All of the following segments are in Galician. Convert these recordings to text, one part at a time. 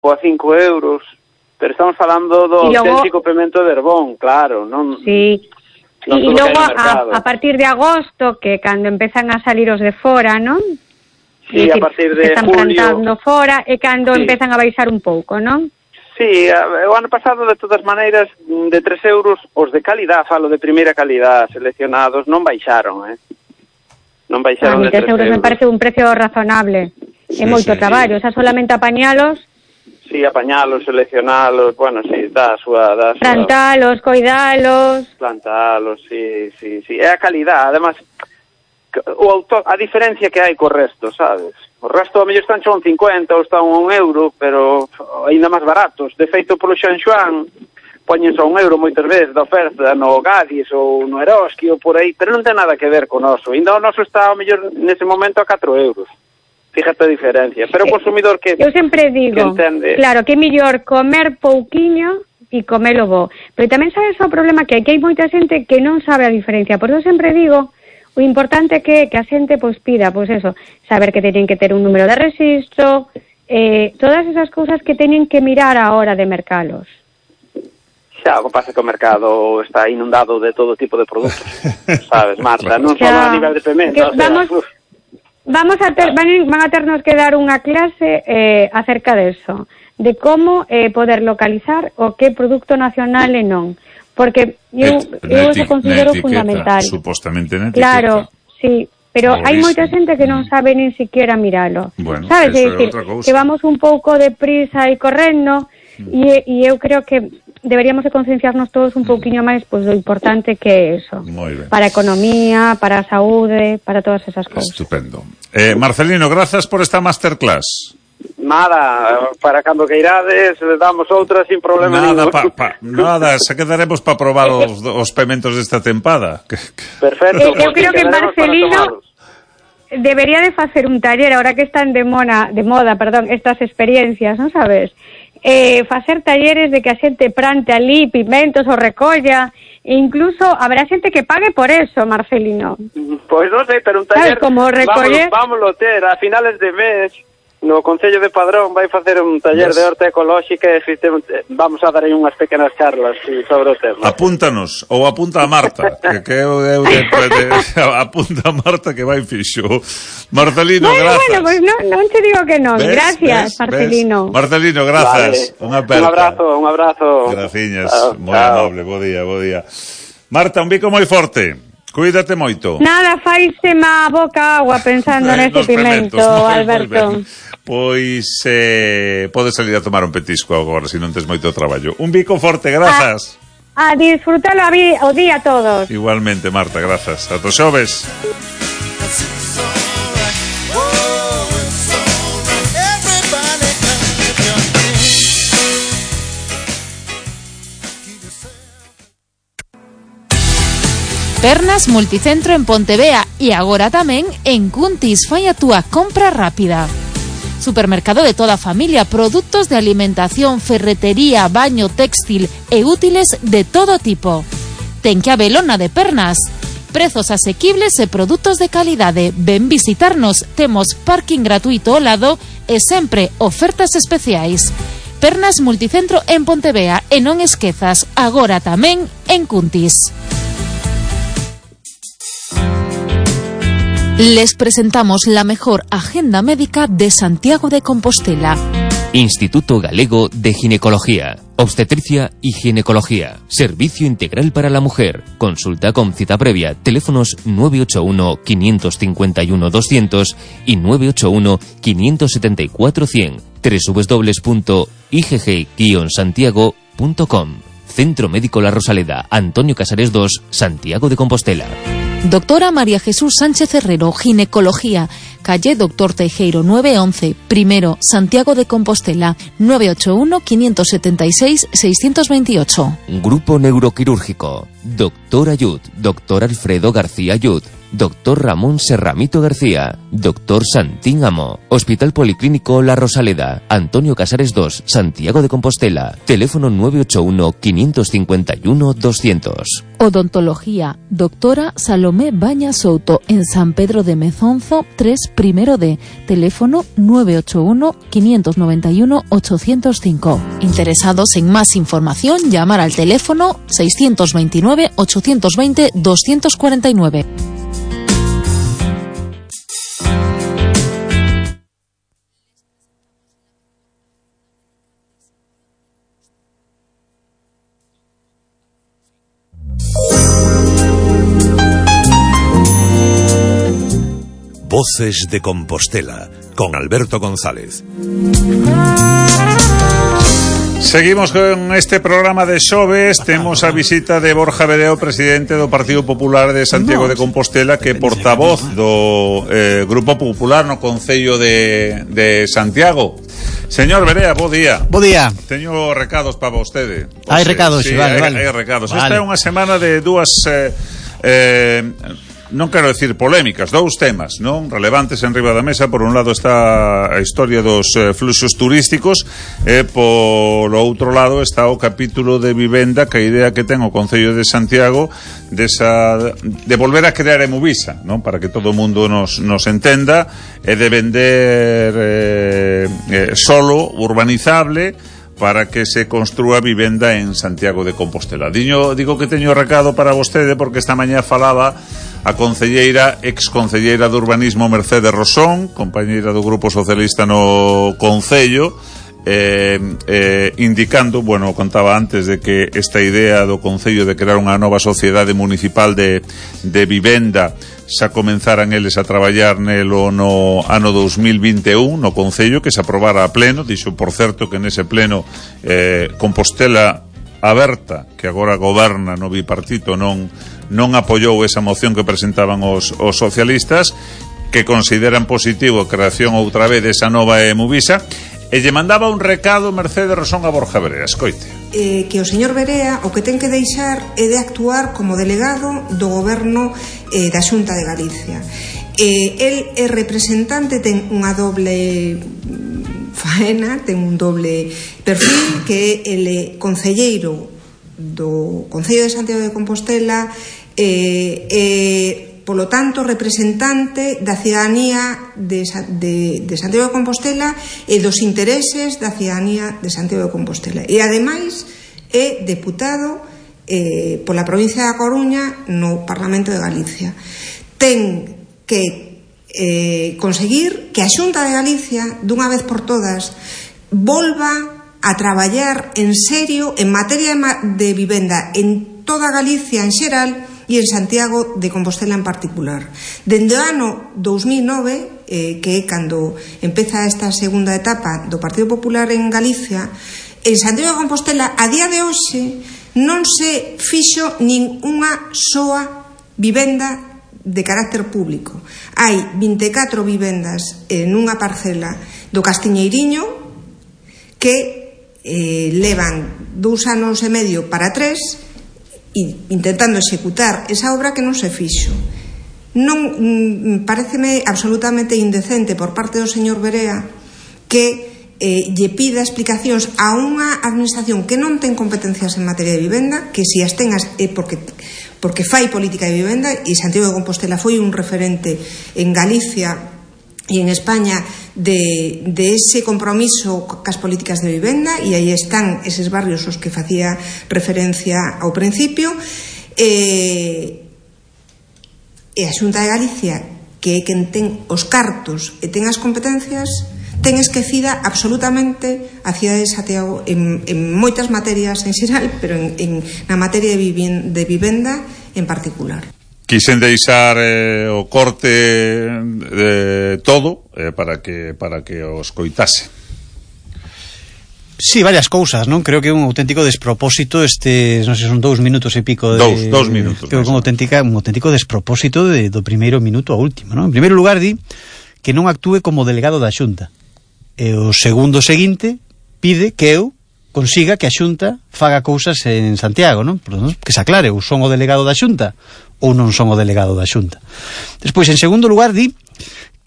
ou a 5 euros, pero estamos falando do auténtico pemento de Herbón, claro, non... Sí, e logo a partir de agosto, que cando empezan a salir os de fora, non? Sí, a partir de están julio... plantando fora, e cando empezan a baixar un pouco, non? Sí, o ano pasado, de todas maneiras, de 3 euros, os de calidad, falo de primeira calidad, seleccionados, non baixaron, Non baixaron de 3 euros. Me parece un precio razonable. É moito traballo, xa solamente apañalos. Sí, apañalos, seleccionalos, bueno, sí, dá a súa... Plantalos, coidalos... Plantalos, sí. É a calidad, además, a diferencia que hai co resto, sabes? O resto, a mellor están son 50 ou están 1 euro, pero ainda máis baratos. De feito, polo Xanxuán, poñen só 1 euro moitas veces da oferta no Gadis ou no Eroski ou por aí, pero non ten nada que ver con o noso. Ainda o noso está, a mellor, nese momento a 4 euros. Fíjate a diferencia. Pero o consumidor que... Eu sempre digo, claro, que é mellor comer pouquiño e comelo bo. Pero tamén sabes o problema que hai moita xente que non sabe a diferencia. Por eso sempre digo, o importante é que a xente pois pida, pois eso, saber que teñen que ter un número de registro, todas esas cousas que teñen que mirar a hora de mercalos. Xa, o que pasa que o mercado está inundado de todo tipo de produtos, sabes, Marta, non só a nivel de pemento, van a ternos que dar unha clase acerca de eso, de como poder localizar o que produto nacional e non, porque eu eso considero fundamental. Supostamente na etiqueta. Claro, sí, pero hai moita xente que non sabe nin siquiera miralo. Bueno, sabes, é dicir, que vamos un pouco de prisa e correndo, e eu creo que deberíamos de concienciarnos todos un pouquiño máis pois do importante que é eso. Para a economía, para a saúde, para todas esas cousas. Estupendo. Marcelino, grazas por esta masterclass. Nada, para cando queirades, damos outra sin problema ningún. Nada, se quedaremos para probar os pementos desta tempada. Perfecto. Eu creo que Marcelino debería de facer un taller, ahora que están de moda, estas experiencias, non sabes? Facer talleres de que a xente plante ali pimentos ou recolla, e incluso habrá xente que pague por eso, Marcelino. Pois non sei, pero un taller vámoslo ter a finales de mes no Concello de Padrón vai facer un taller de horta ecolóxica e vamos a dar aí unhas pequenas charlas sobre o tema. Apúntanos, ou apunta a Marta, que apunta a Marta que vai fixo. Marcelino, grazas. Bueno, pois non te digo que non. Gracias, Marcelino. Marcelino, grazas. Vale. Un abrazo. Graciñas, moi amable, bo día. Marta, un bico moi forte. Cuídate moito. Nada, faise má boca agua pensando neste pimento, Alberto. Pois podes salir a tomar un petisco agora, se non tes moito traballo. Un bico forte, grazas. A disfrutalo o día a todos. Igualmente, Marta, grazas. Ata xoves. Pernas Multicentro en Pontevea e agora tamén en Cuntis. Fai a túa compra rápida. Supermercado de toda a familia, produtos de alimentación, ferretería, baño, textil e útiles de todo tipo. Ten que habelo na de Pernas. Prezos asequibles e produtos de calidade. Ven visitarnos, temos parking gratuito ao lado e sempre ofertas especiais. Pernas Multicentro en Pontevea e non esquezas, agora tamén en Cuntis. Les presentamos la mejor agenda médica de Santiago de Compostela. Instituto Galego de Ginecología, Obstetricia y Ginecología. Servicio integral para la mujer. Consulta con cita previa. Teléfonos 981-551-200 y 981-574-100. www.igg-santiago.com. Centro Médico La Rosaleda, Antonio Casares 2, Santiago de Compostela. Doctora María Jesús Sánchez Herrero, Ginecología, calle Doctor Teijeiro 911, primero, Santiago de Compostela, 981-576-628. Grupo Neuroquirúrgico, Doctor Ayud, Doctor Alfredo García Ayud, Doctor Ramón Serramito García, Doctor Santín Amo, Hospital Policlínico La Rosaleda, Antonio Casares 2, Santiago de Compostela, teléfono 981-551-200. Odontología, Doctora Salomé Baña Souto, en San Pedro de Mezonzo 3, primero D, teléfono 981 591 805. Interesados en más información, llamar al teléfono 629 820 249. Voces de Compostela, con Alberto González. Seguimos con este programa de xoves. Temos a visita de Borja Vedeo, presidente do Partido Popular de Santiago de Compostela, que é portavoz do Grupo Popular no Concello de Santiago. Señor Verea, bo día. Bo día. Teño recados para vostede. Hai recados, sí, vale. Hai recados. Vale. Esta é unha semana de dúas... non quero decir polémicas, dous temas, non relevantes en riba da mesa. Por un lado está a historia dos fluxos turísticos e polo outro lado está o capítulo de vivenda, que a idea que ten o Concello de Santiago de volver a crear Emuvisa, non, para que todo o mundo nos entenda, e de vender solo urbanizable para que se construa vivenda en Santiago de Compostela. Digo que teño recado para vostede porque esta mañá falaba a exconcelleira de Urbanismo Mercedes Rosón, compañeira do Grupo Socialista no Concello, indicando, bueno, contaba antes de que esta idea do Concello de crear unha nova sociedade municipal de vivenda xa comenzaran eles a traballar nelo no ano 2021 no Concello, que se aprobara a pleno. Dixo, por certo, que nese pleno Compostela Aberta, que agora goberna no bipartito, non apoiou esa moción que presentaban os socialistas, que consideran positivo a creación outra vez desa nova Emuvisa. E lle mandaba un recado Mercedes Rosón a Borja Verea. Escoite. Que o señor Verea o que ten que deixar é de actuar como delegado do goberno da Xunta de Galicia. El é representante, ten unha doble faena, ten un doble perfil, que el é concelleiro do Concello de Santiago de Compostela, polo tanto representante da cidadanía de Santiago de Compostela e dos intereses da cidadanía de Santiago de Compostela, e ademais é deputado pola provincia da Coruña no Parlamento de Galicia. Ten que conseguir que a Xunta de Galicia, dunha vez por todas, volva a traballar en serio en materia de vivenda en toda Galicia en xeral e en Santiago de Compostela en particular. Dende o ano 2009, que é cando empeza esta segunda etapa do Partido Popular en Galicia, en Santiago de Compostela, a día de hoxe, non se fixo nin unha soa vivenda de carácter público. Hai 24 vivendas nunha parcela do Castiñeiriño que levan 2 anos e medio para 3 intentando executar esa obra que non se fixo. Non pareceme absolutamente indecente por parte do señor Verea que lle pida explicacións a unha administración que non ten competencias en materia de vivenda, que si as ten é porque fai política de vivenda, e Santiago de Compostela foi un referente en Galicia e en España de ese compromiso cas políticas de vivenda, e aí están eses barrios os que facía referencia ao principio, e a Xunta de Galicia, que é quen ten os cartos e ten as competencias, ten esquecida absolutamente a cidade de Santiago en moitas materias en xeral, pero na materia de vivenda en particular. Quixen deixar o corte de todo para que os coitase. Sí, varias cousas, non? Creo que é un auténtico despropósito non sei, son 2 minutos e pico de... 2 minutos. Creo que un auténtico despropósito do primeiro minuto ao último, non? En primeiro lugar, di que non actúe como delegado da Xunta. E o segundo seguinte pide que eu consiga que a Xunta faga cousas en Santiago, non? Que se aclare, ou son o delegado da Xunta ou non son o delegado da Xunta. Despois, en segundo lugar, di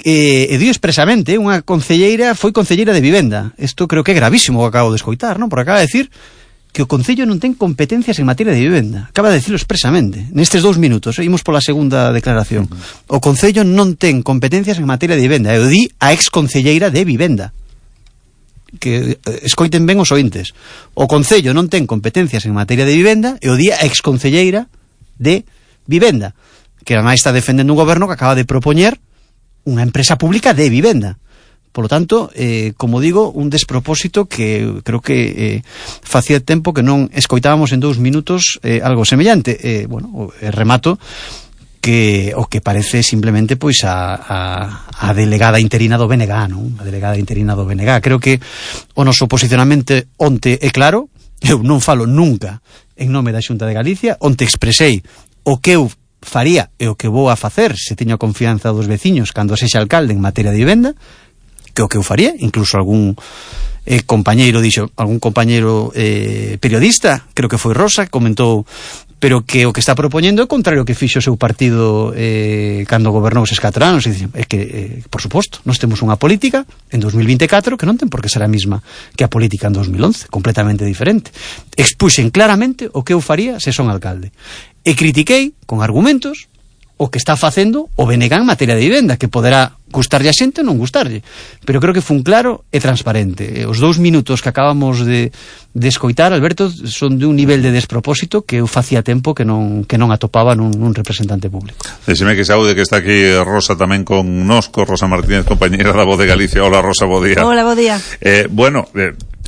expresamente, unha concelleira foi concelleira de vivenda. Isto creo que é gravísimo o que acabo de escoitar, non? Porque acaba de decir que o Concello non ten competencias en materia de vivenda. Acaba de dicirlo expresamente. Nestes 2 minutos, imos pola segunda declaración. O Concello non ten competencias en materia de vivenda. E o di a exconcelleira de vivenda. Que escoiten ben os ointes. O Concello non ten competencias en materia de vivenda e o di a exconcelleira de vivenda. Que ademais está defendendo un goberno que acaba de propoñer unha empresa pública de vivenda. Por lo tanto, como digo, un despropósito que creo que facía tempo que non escoitábamos en 2 minutos algo semellante. Remato que o que parece simplemente pois a delegada interina do BNG, non? A delegada interina do BNG. Creo que o noso posicionamento onte é claro. Eu non falo nunca en nome da Xunta de Galicia. Onte expresei o que eu faría e o que vou a facer se teño a confianza dos veciños cando sexa alcalde en materia de vivenda, que o que eu faría, incluso algún compañeiro periodista, creo que foi Rosa, comentou, pero que o que está propoñendo é contrario ao que fixo o seu partido cando gobernou eses 4 anos. É que, por suposto, nós temos unha política en 2024 que non ten por que ser a mesma que a política en 2011, completamente diferente. Expuxen claramente o que eu faría se son alcalde. E critiquei, con argumentos, o que está facendo o BNG en materia de vivenda, que poderá gustarlle a xente ou non gustarlle, pero creo que fun claro e transparente. Os 2 minutos que acabamos de escoitar, Alberto, son de un nivel de despropósito que eu facía tempo que non atopaba nun representante público. Déxeme que saúde que está aquí Rosa tamén con nosco, Rosa Martínez, compañera da Voz de Galicia. Hola, Rosa, bo día. Hola, bo día.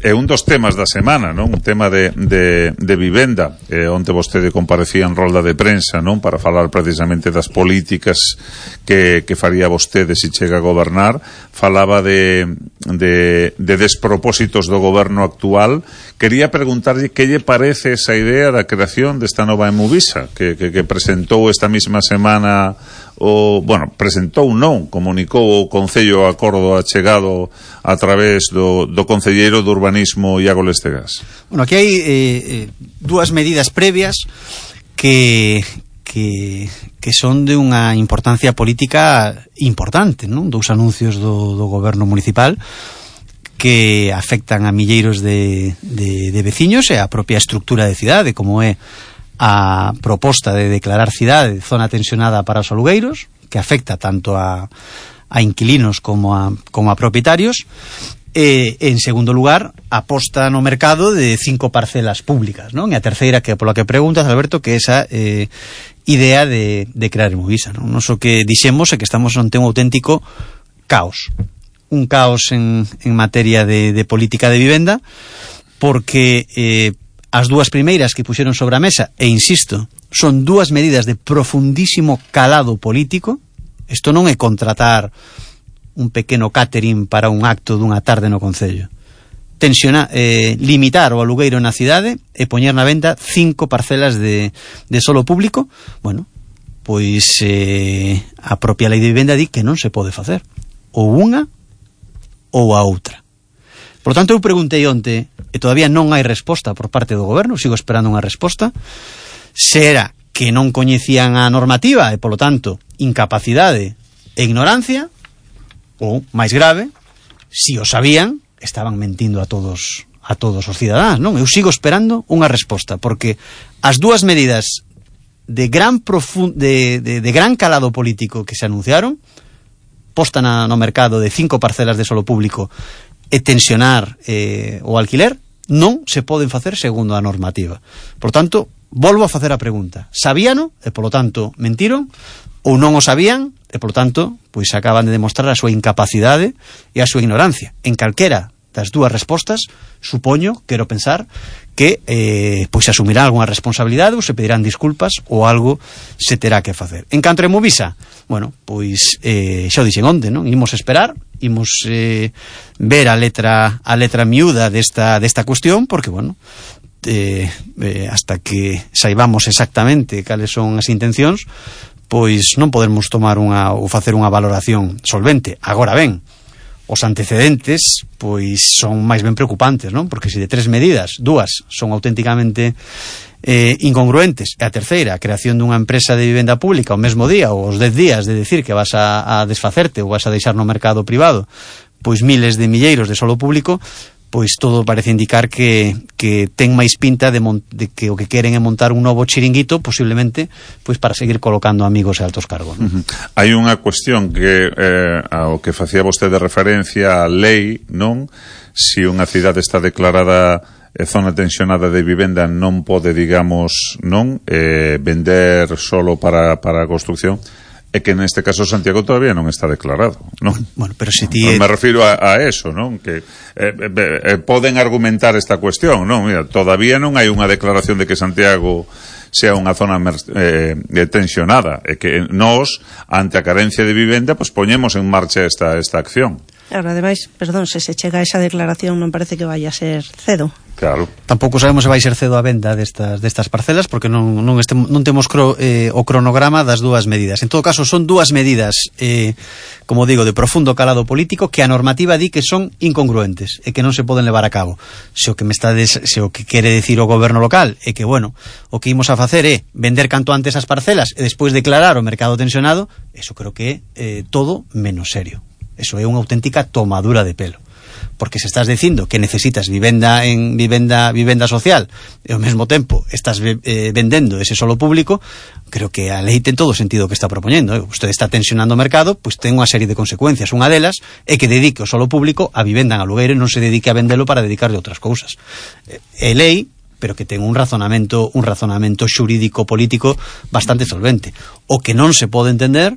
É un dos temas da semana, non? Un tema de vivenda. Onte vostede comparecía en rolda de prensa, non? Para falar precisamente das políticas que faría vostede se chega a gobernar. Falaba de despropósitos do goberno actual. Quería preguntarlle que lle parece esa idea da creación desta nova Emuvisa que presentou esta mesma semana comunicou o Concello acordo achegado a través do Concelleiro de Urbanismo Iago Lestegas. Bueno, aquí hai 2 medidas previas que son de unha importancia política importante, non? 2 anuncios do goberno municipal que afectan a milleiros de veciños e a propia estructura de cidade, como é a proposta de declarar cidade zona tensionada para os alugueiros, que afecta tanto a inquilinos como a propietarios, e en segundo lugar a posta no mercado de 5 parcelas públicas, non? E a terceira, que pola que preguntas, Alberto, que esa idea de crear Emuvisa, non? Nos o que dixemos é que estamos ante un auténtico caos, un caos en materia de política de vivenda, porque as 2 primeiras que puxeron sobre a mesa, e insisto, son 2 medidas de profundísimo calado político. Isto non é contratar un pequeno catering para un acto dunha tarde no Concello. Limitar o alugueiro na cidade e poñer na venda 5 parcelas de solo público. Bueno, pois a propia lei de vivenda di que non se pode facer ou unha ou a outra. Por lo tanto, eu preguntei onte, e todavía non hai resposta por parte do goberno, sigo esperando unha resposta, se era que non coñecían a normativa e, polo tanto, incapacidade e ignorancia, ou, máis grave, si o sabían, estaban mentindo a todos os cidadáns, non? Eu sigo esperando unha resposta, porque as 2 medidas de gran calado político que se anunciaron, posta no mercado de 5 parcelas de solo público e tensionar o alquiler, non se poden facer segundo a normativa. Por tanto, volvo a facer a pregunta: sabíano e polo tanto mentiron, ou non o sabían e polo tanto pois acaban de demostrar a súa incapacidade e a súa ignorancia? En calquera das 2 respostas, supoño, quero pensar que pois asumirán algunha responsabilidade ou se pedirán disculpas ou algo se terá que facer. En canto a Emuvisa, bueno, pois xa o dixen onte, non? Imos esperar, imos ver a letra miúda desta cuestión, porque, bueno, hasta que saibamos exactamente cales son as intencións, pois non podemos tomar ou facer unha valoración solvente. Agora ben, os antecedentes pois son máis ben preocupantes, non? Porque se de 3 medidas, 2 son auténticamente incongruentes, e a terceira, a creación dunha empresa de vivenda pública o mesmo día ou os 10 días de decir que vas a desfacerte ou vas a deixar no mercado privado pois miles de milleiros de solo público, pois todo parece indicar que ten máis pinta de que o que queren é montar un novo chiringuito, posiblemente pois para seguir colocando amigos e altos cargos, non? Hai unha cuestión que ao que facía vostede referencia a lei, non? Si unha cidade está declarada zona tensionada de vivenda, non pode, digamos, non vender solo para a construcción. É que neste caso Santiago todavía non está declarado, non? Bueno, pero se ti... Me refiro a eso, non? Que poden argumentar esta cuestión, non? Mira, todavía non hai unha declaración de que Santiago sea unha zona tensionada, e que nós, ante a carencia de vivenda, pues poñemos en marcha esta acción. Claro, ademais, perdón, se chega a esa declaración non parece que vaya a ser cedo. Claro. Tampouco sabemos se vai ser cedo a venda destas parcelas, porque non temos o cronograma das dúas medidas. En todo caso, son dúas medidas, como digo, de profundo calado político, que a normativa di que son incongruentes e que non se poden levar a cabo. Se o que quere decir o goberno local é que, bueno, o que imos a facer é vender canto antes as parcelas e despois declarar o mercado tensionado, eso creo que é todo menos serio. Eso é unha auténtica tomadura de pelo, porque se estás dicindo que necesitas vivenda social e ao mesmo tempo estás vendendo ese solo público, creo que a lei ten todo o sentido que está propoñendo. Usted está tensionando o mercado, pois ten unha serie de consecuencias. Unha delas é que dedique o solo público a vivenda en alugueiro e non se dedique a vendelo para dedicarle a outras cousas. É lei, pero que ten un razonamento xurídico político bastante solvente. O que non se pode entender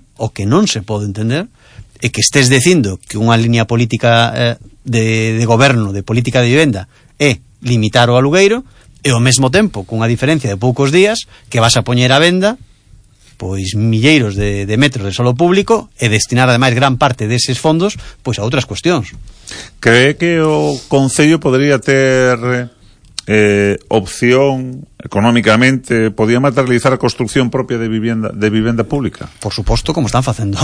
é que estés dicindo que unha liña política de goberno, de política de vivenda, é limitar o alugueiro, e ao mesmo tempo, cunha diferencia de poucos días, que vas a poñer a venda pois milleiros de metros de solo público e destinar ademais gran parte deses fondos pois a outras cuestións. Cree que o Concello podría ter opción económicamente, podía materializar a construcción propia de vivenda pública? Por suposto, como están facendo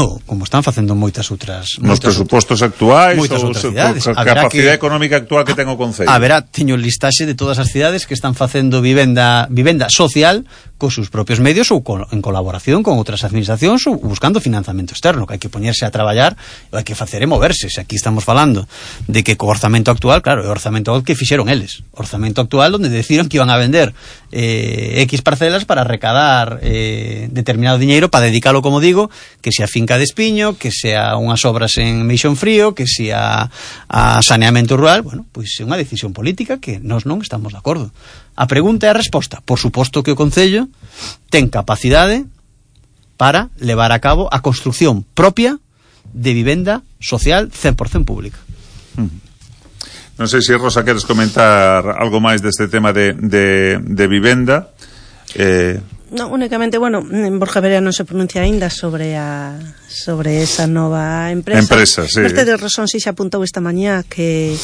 moitas outras nos presupostos actuais, moitas outras cidades. A capacidade económica actual que ten o Concello. Teño listaxe de todas as cidades que están facendo vivenda social cos seus propios medios ou en colaboración con outras administracións ou buscando financiamento externo, que hai que poñerse a traballar, hai que facer e moverse. Se aquí estamos falando de que co orzamento actual, claro, é o orzamento que fixeron eles, orzamento actual onde decidiron que iban a vender X parcelas para recadar determinado diñeiro para dedicalo, como digo, que sea finca de espiño, que sea unhas obras en Meixón Frío, que sea a saneamento rural. Bueno, pois é unha decisión política que nós non estamos de acordo. A pregunta e a resposta: por suposto que o Concello ten capacidade para levar a cabo a construcción propia de vivenda social 100% pública. Non sei se, Rosa, queres comentar algo máis deste tema de vivenda. Non, únicamente, Borja Verea non se pronuncia aínda sobre esa nova empresa. Sí. Vostede razón si se apuntou esta mañá que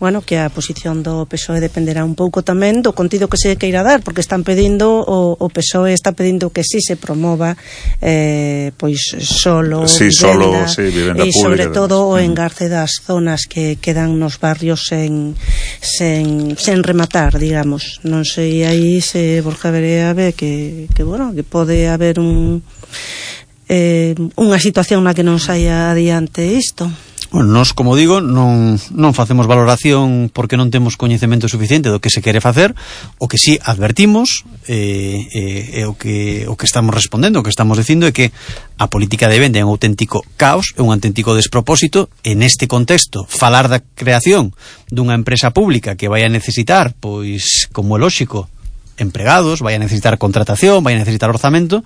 a posición do PSOE dependerá un pouco tamén do contido que se queira dar, porque están pedindo, o PSOE está pedindo que si se promova pois solo vivenda, e sobre todo o engarce das zonas que quedan nos barrios sen rematar, digamos. Non sei aí se Borja Verea ve que pode haber unha situación na que non saia adiante isto. Bueno, nós, como digo, non facemos valoración porque non temos coñecemento suficiente do que se quere facer. O que sí advertimos o que estamos respondendo, o que estamos dicindo é que a política de venda é un auténtico caos, é un auténtico despropósito. En este contexto, falar da creación dunha empresa pública que vai a necesitar, pois, como é lóxico, empregados, vai a necesitar contratación, vai a necesitar orzamento,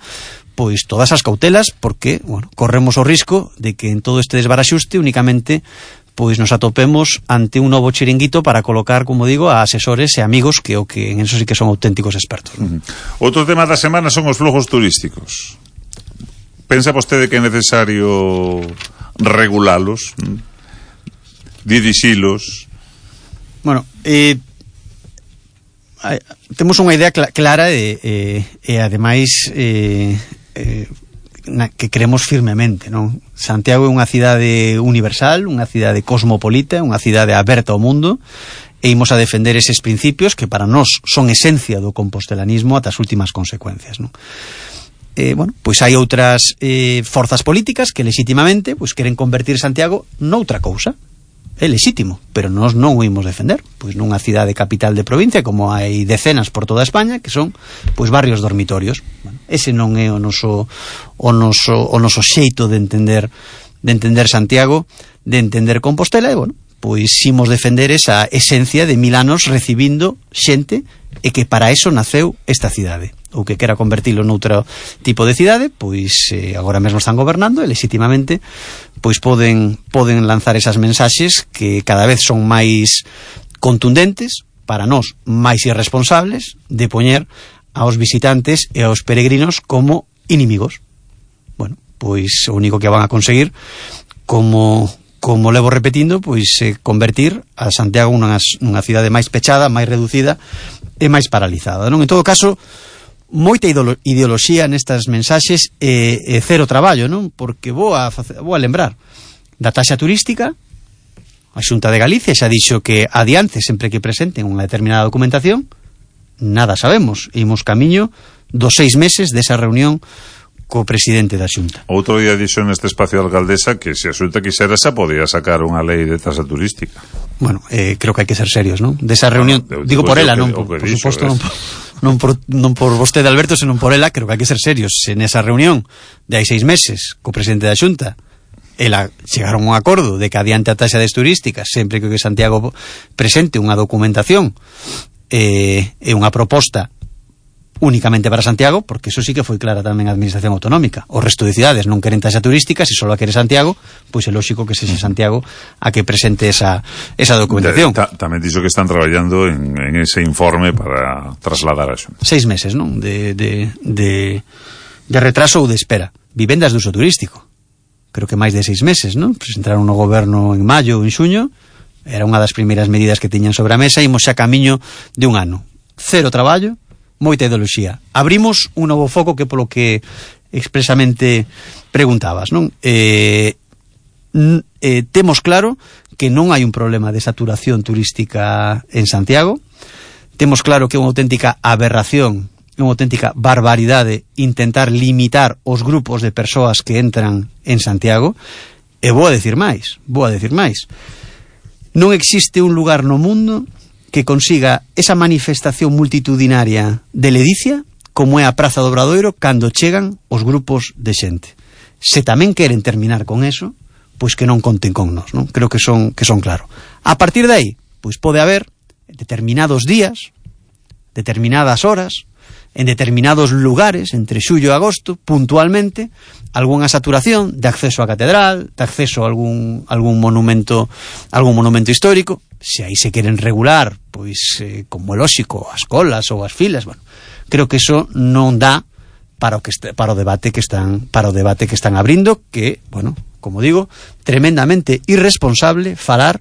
pois todas as cautelas, porque, corremos o risco de que en todo este desbaraxuste únicamente pois nos atopemos ante un novo chiringuito para colocar, como digo, a asesores e amigos que en eso sí que son auténticos expertos. Outro tema da semana son os flujos turísticos. Pensa vostede que é necesario regulalos, dirixilos? Bueno, temos unha idea clara e ademais que creemos firmemente, non? Santiago é unha cidade universal, unha cidade cosmopolita, unha cidade aberta ao mundo, e imos a defender eses principios que para nós son esencia do compostelanismo ata as últimas consecuencias, non? Pois hai outras forzas políticas que legitimamente queren convertir Santiago noutra cousa. é lexítimo, pero nós non o imos defender. Pois nunha cidade capital de provincia, como hai decenas por toda España, que son pois barrios dormitorios. Bueno, ese non é o noso xeito de entender Santiago, de entender Compostela, e bueno, pois imos defender esa esencia de 1000 anos recibindo xente, e que para eso naceu esta cidade. Ou que quera convertilo noutro tipo de cidade, pois agora mesmo están gobernando e legitimamente pois poden lanzar esas mensaxes que cada vez son máis contundentes, para nós máis irresponsables, de poñer aos visitantes e aos peregrinos como inimigos. Bueno, pois o único que van a conseguir, como levo repetindo, pois convertir a Santiago nunha cidade máis pechada, máis reducida e máis paralizada, non? En todo caso, moita ideoloxía nestas mensaxes e cero traballo, non? Porque vou a lembrar da taxa turística. A Xunta de Galicia xa dixo que adiante sempre que presenten unha determinada documentación. Nada sabemos, imos camiño dos 6 meses desa reunión co presidente da Xunta. Outro día dixo neste espacio de alcaldesa que se a Xunta quixera xa podía sacar unha lei de tasa turística. Bueno, creo que hai que ser serios, non? Desa reunión, digo por ela, non por suposto, non por vostede, Alberto, senón por ela, creo que hai que ser serios. Se nesa reunión de hai 6 meses co presidente da Xunta ela chegaron a un acordo de que adiante a taxa turística sempre que Santiago presente unha documentación e unha proposta únicamente para Santiago, porque eso sí que foi clara tamén a Administración Autonómica. O resto de cidades non queren taxa turística, se só a quere Santiago, pois é lógico que sexa Santiago a que presente esa documentación. Tamén dixo que están traballando en ese informe para trasladar a Xunta. 6 meses, non? De retraso ou de espera. Vivendas de uso turístico. Creo que máis de 6 meses, non? Presentaron no goberno en maio ou en xuño, era unha das primeiras medidas que tiñan sobre a mesa, imos xa camiño de un ano. Cero traballo, moita ideoloxía. Abrimos un novo foco que polo que expresamente preguntabas, non? Temos claro que non hai un problema de saturación turística en Santiago. Temos claro que é unha auténtica aberración, unha auténtica barbaridade intentar limitar os grupos de persoas que entran en Santiago. E vou a decir máis. Non existe un lugar no mundo que consiga esa manifestación multitudinaria de ledicia como é a Praza do Obradoiro cando chegan os grupos de xente. Se tamén queren terminar con eso, pois que non conten con nós, non? Creo que son claro. A partir de aí, pois pode haber determinados días, determinadas horas, en determinados lugares, entre xullo e agosto, puntualmente, algunha saturación de acceso á catedral, de acceso a algún monumento histórico. Se aí se queren regular, pois, como é lógico, as colas ou as filas, bueno, creo que eso non dá para o debate que están abrindo, que, bueno, como digo, tremendamente irresponsable falar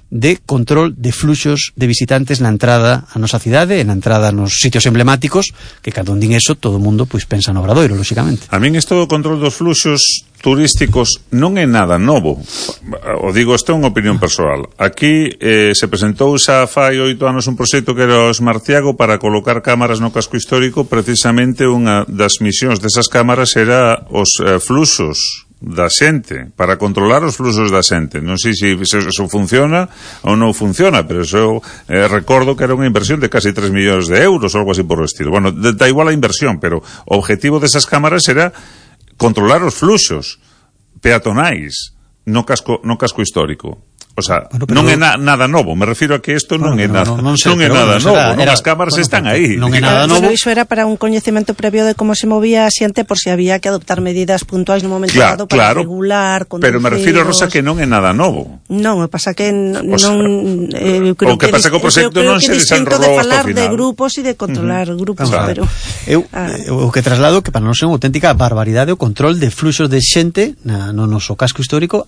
de control de fluxos de visitantes na entrada a nosa cidade e na entrada nos sitios emblemáticos, que cando din eso todo o mundo pois pensa no Obradoiro, lógicamente. A min isto do control dos fluxos turísticos non é nada novo. O digo, isto é unha opinión persoal. Aquí se presentou xa fai 8 anos un proxecto que era o Smartiago para colocar cámaras no casco histórico. Precisamente unha das misións desas cámaras era os fluxos da xente, para controlar os fluxos da xente. Non sei se eso funciona ou non funciona, pero eso recordo que era unha inversión de casi 3 millóns de euros ou algo así por o estilo. Bueno, da igual a inversión, pero o objetivo desas cámaras era controlar os fluxos peatonais no casco histórico. O sea, bueno, non é nada novo. Me refiro a que isto non é nada novo. As cámaras están aí. Non é nada novo. Iso era para un coñecemento previo de como se movía a xente por se había que adoptar medidas puntuais no momento dado para regular, conducir. Pero me refiro, Rosa, que non é nada novo. Non, me pasa que non creo que pasa que o proxecto non se desenrolou de falar de grupos e de controlar grupos, pero o que traslado que para nós é unha auténtica barbaridade o control de fluxos de xente no noso casco histórico,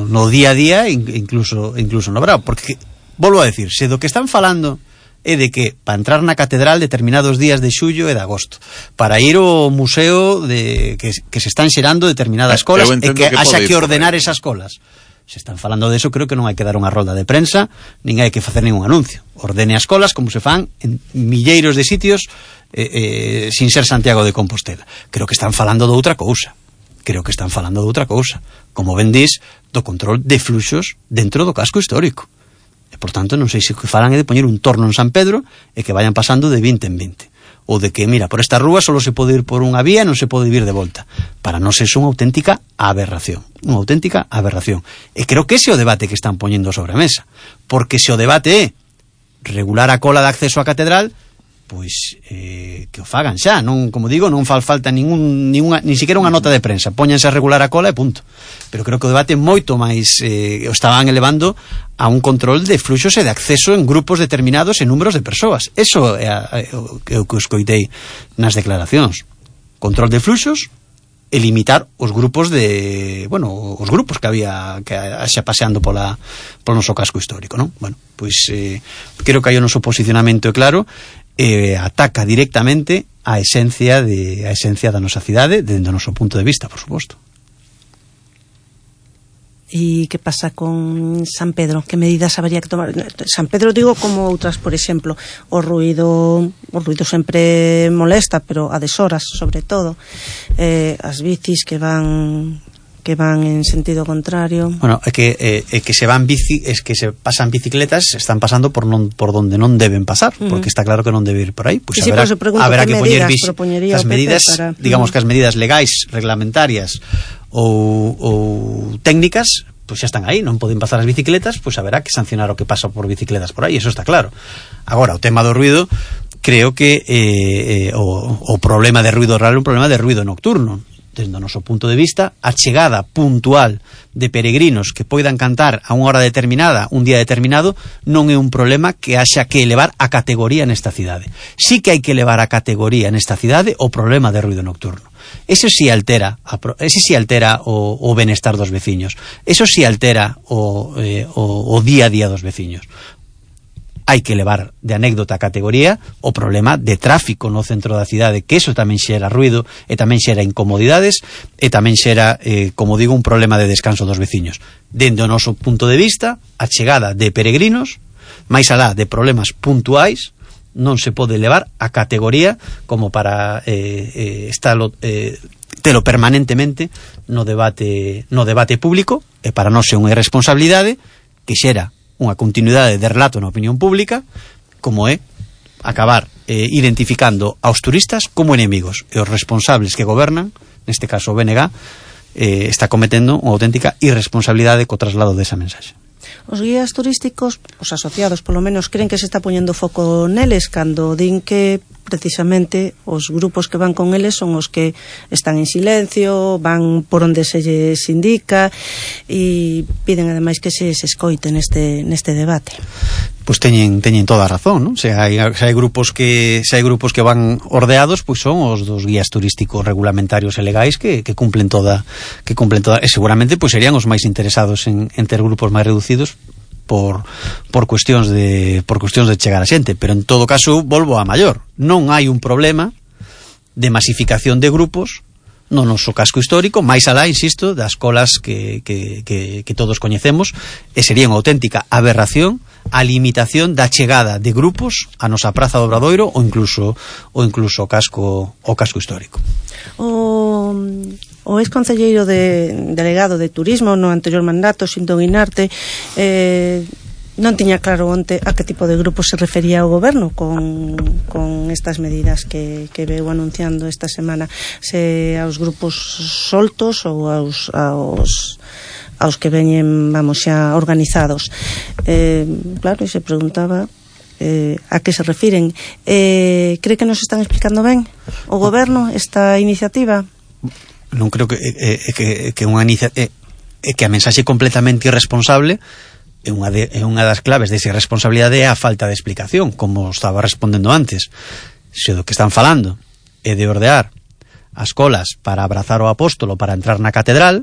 no día a día, incluso no bravo, porque volvo a decir, se do que están falando é de que para entrar na catedral determinados días de xullo e de agosto, para ir ao museo que se están xerando determinadas colas e que haxa que ordenar esas colas, se están falando de eso, creo que non hai que dar unha rolda de prensa, nin hai que facer ningún anuncio. Ordene as colas como se fan en milleiros de sitios sin ser Santiago de Compostela. Creo que están falando de outra cousa. creo que están falando de outra cousa, como ben dis, do control de fluxos dentro do casco histórico. E, por tanto, non sei se que falan é de poñer un torno en San Pedro e que vayan pasando de 20 en 20. Ou de que, mira, por esta rúa só se pode ir por unha vía, non se pode vir de volta. Para nós é unha auténtica aberración. Unha auténtica aberración. E creo que ese é o debate que están poñendo sobre a mesa. Porque se o debate é regular a cola de acceso á catedral, pois que o fagan xa, non, como digo, non fal falta ni siquiera unha nota de prensa, póñanse a regular a cola e punto. Pero creo que o debate moito máis o estaban elevando a un control de fluxos e de acceso en grupos determinados e números de persoas. Eso é o que escoitei nas declaracións. Control de fluxos e limitar os grupos os grupos que había que xa paseando polo noso casco histórico, non? Bueno, pois creo que aí o noso posicionamento é claro. Ataca directamente a esencia da nosa cidade dentro do noso punto de vista, por suposto. E que pasa con San Pedro? Que medidas habería que tomar? San Pedro digo como outras, por exemplo, o ruido sempre molesta, pero a deshoras, sobre todo, as bicis que van en sentido contrario. Bueno, é que se pasan bicicletas, están pasando por donde non deben pasar, porque está claro que non debe ir por aí. Pois haberá que poñer as medidas, digamos que as medidas legais, reglamentarias ou técnicas, pois xa están aí, non poden pasar as bicicletas, pois haberá que sancionar o que pasa por bicicletas por aí, eso está claro. Agora, o tema do ruido, creo que o problema de ruido real é un problema de ruido nocturno. Desde o noso punto de vista, a chegada puntual de peregrinos que poidan cantar a unha hora determinada, un día determinado, non é un problema que haxa que elevar a categoría nesta cidade. Sí que hai que elevar a categoría nesta cidade o problema de ruido nocturno. Eso sí altera o benestar dos veciños. Eso sí altera o día a día dos veciños. Hai que levar de anécdota a categoría o problema de tráfico no centro da cidade, que eso tamén xera ruido e tamén xera incomodidades e tamén xera, como digo, un problema de descanso dos veciños. Dende o noso punto de vista, a chegada de peregrinos, máis alá de problemas puntuais, non se pode levar a categoría como para telo permanentemente no debate público, e para nós é unha irresponsabilidade que xera unha continuidade de relato na opinión pública, como é acabar identificando aos turistas como enemigos, e os responsables que gobernan, neste caso o BNG, está cometendo unha auténtica irresponsabilidade co traslado desa mensaxe. Os guías turísticos, os asociados polo menos, creen que se está poñendo foco neles cando din que precisamente os grupos que van con eles son os que están en silencio, van por onde se lles indica e piden ademais que se escoite neste debate. Pois teñen toda a razón, non? Se hai grupos que van ordeados, pois son os dos guías turísticos regulamentarios e legais que cumplen toda, e seguramente pois serían os máis interesados en ter grupos máis reducidos por cuestións de chegar a xente, pero en todo caso volvo a maior, non hai un problema de masificación de grupos no noso casco histórico, máis alá, insisto, das colas que todos coñecemos, e sería unha auténtica aberración a limitación da chegada de grupos a nosa Praza do Obradoiro ou incluso o casco histórico. O ex-concelleiro delegado de Turismo no anterior mandato, Xinto Guinarte, non tiña claro onte a que tipo de grupo se refería o goberno con estas medidas que veu anunciando esta semana, se aos grupos soltos ou aos que veñen, vamos, xa organizados. Claro, e se preguntaba a que se refiren. Cree que nos están explicando ben o goberno esta iniciativa? Non creo que a mensaxe completamente irresponsable é unha das claves desa irresponsabilidade é a falta de explicación, como estaba respondendo antes. Se do que están falando é de ordear as colas para abrazar o apóstolo para entrar na catedral,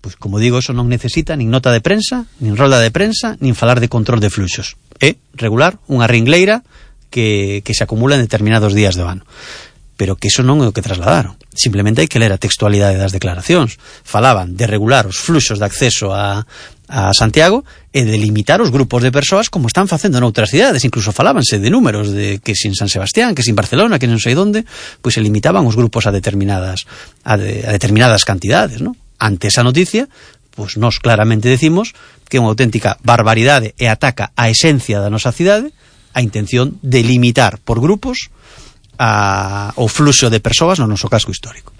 pois como digo, eso non necesita nin nota de prensa, nin rolda de prensa, nin falar de control de fluxos. É regular unha ringleira que se acumula en determinados días do ano. Pero que eso non é o que trasladaron. Simplemente hai que ler a textualidade das declaracións. Falaban de regular os fluxos de acceso a a Santiago e de limitar os grupos de persoas como están facendo noutras cidades. Incluso falábanse de números de que sin San Sebastián, que sin Barcelona, que non sei onde, pois se limitaban os grupos a determinadas cantidades, ¿no? Ante esa noticia, pois nós claramente decimos que é unha auténtica barbaridade e ataca a esencia da nosa cidade a intención de limitar por grupos o fluxo de persoas no noso casco histórico.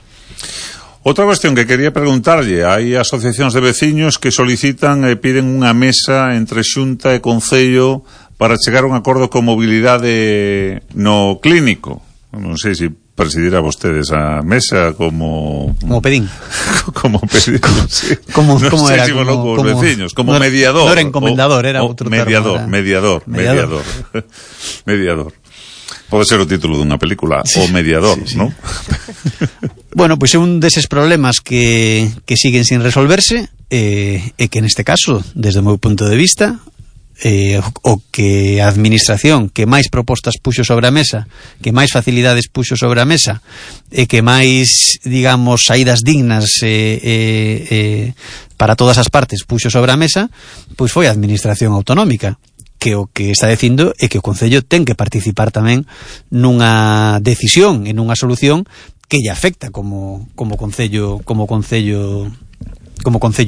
Outra cuestión que quería preguntarlle, hai asociacións de veciños que solicitan e piden unha mesa entre Xunta e Concello para chegar a un acordo con mobilidade no clínico. Non sei se presidirá vostedes a mesa como pedín. Como pedín, sí. Como era, si como veciños, como mediador. Non era encomendador, era outro mediador, termo. Mediador. Pode ser o título dunha película, sí, O Mediador, sí. ¿No? Bueno, pois é un deses problemas que siguen sin resolverse e que neste caso, desde o meu punto de vista, o que a administración que máis propostas puxo sobre a mesa, que máis facilidades puxo sobre a mesa e que máis, digamos, saídas dignas para todas as partes puxo sobre a mesa, pois foi a administración autonómica, que o que está dicindo é que o Concello ten que participar tamén nunha decisión e nunha solución que lle afecta como Concello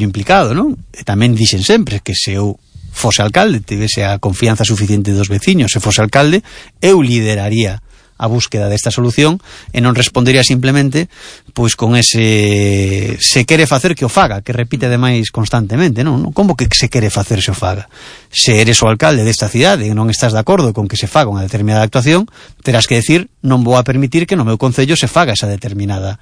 implicado, non? E tamén dixen sempre que se eu fose alcalde, tivese a confianza suficiente dos veciños, se fose alcalde, eu lideraría a búsqueda desta solución e non respondería simplemente pois con ese se quere facer que o faga, que repite ademais constantemente, non? Como que se quere facer se o faga? Se eres o alcalde desta cidade e non estás de acordo con que se faga unha determinada actuación, terás que decir, non vou a permitir que no meu concello se faga esa determinada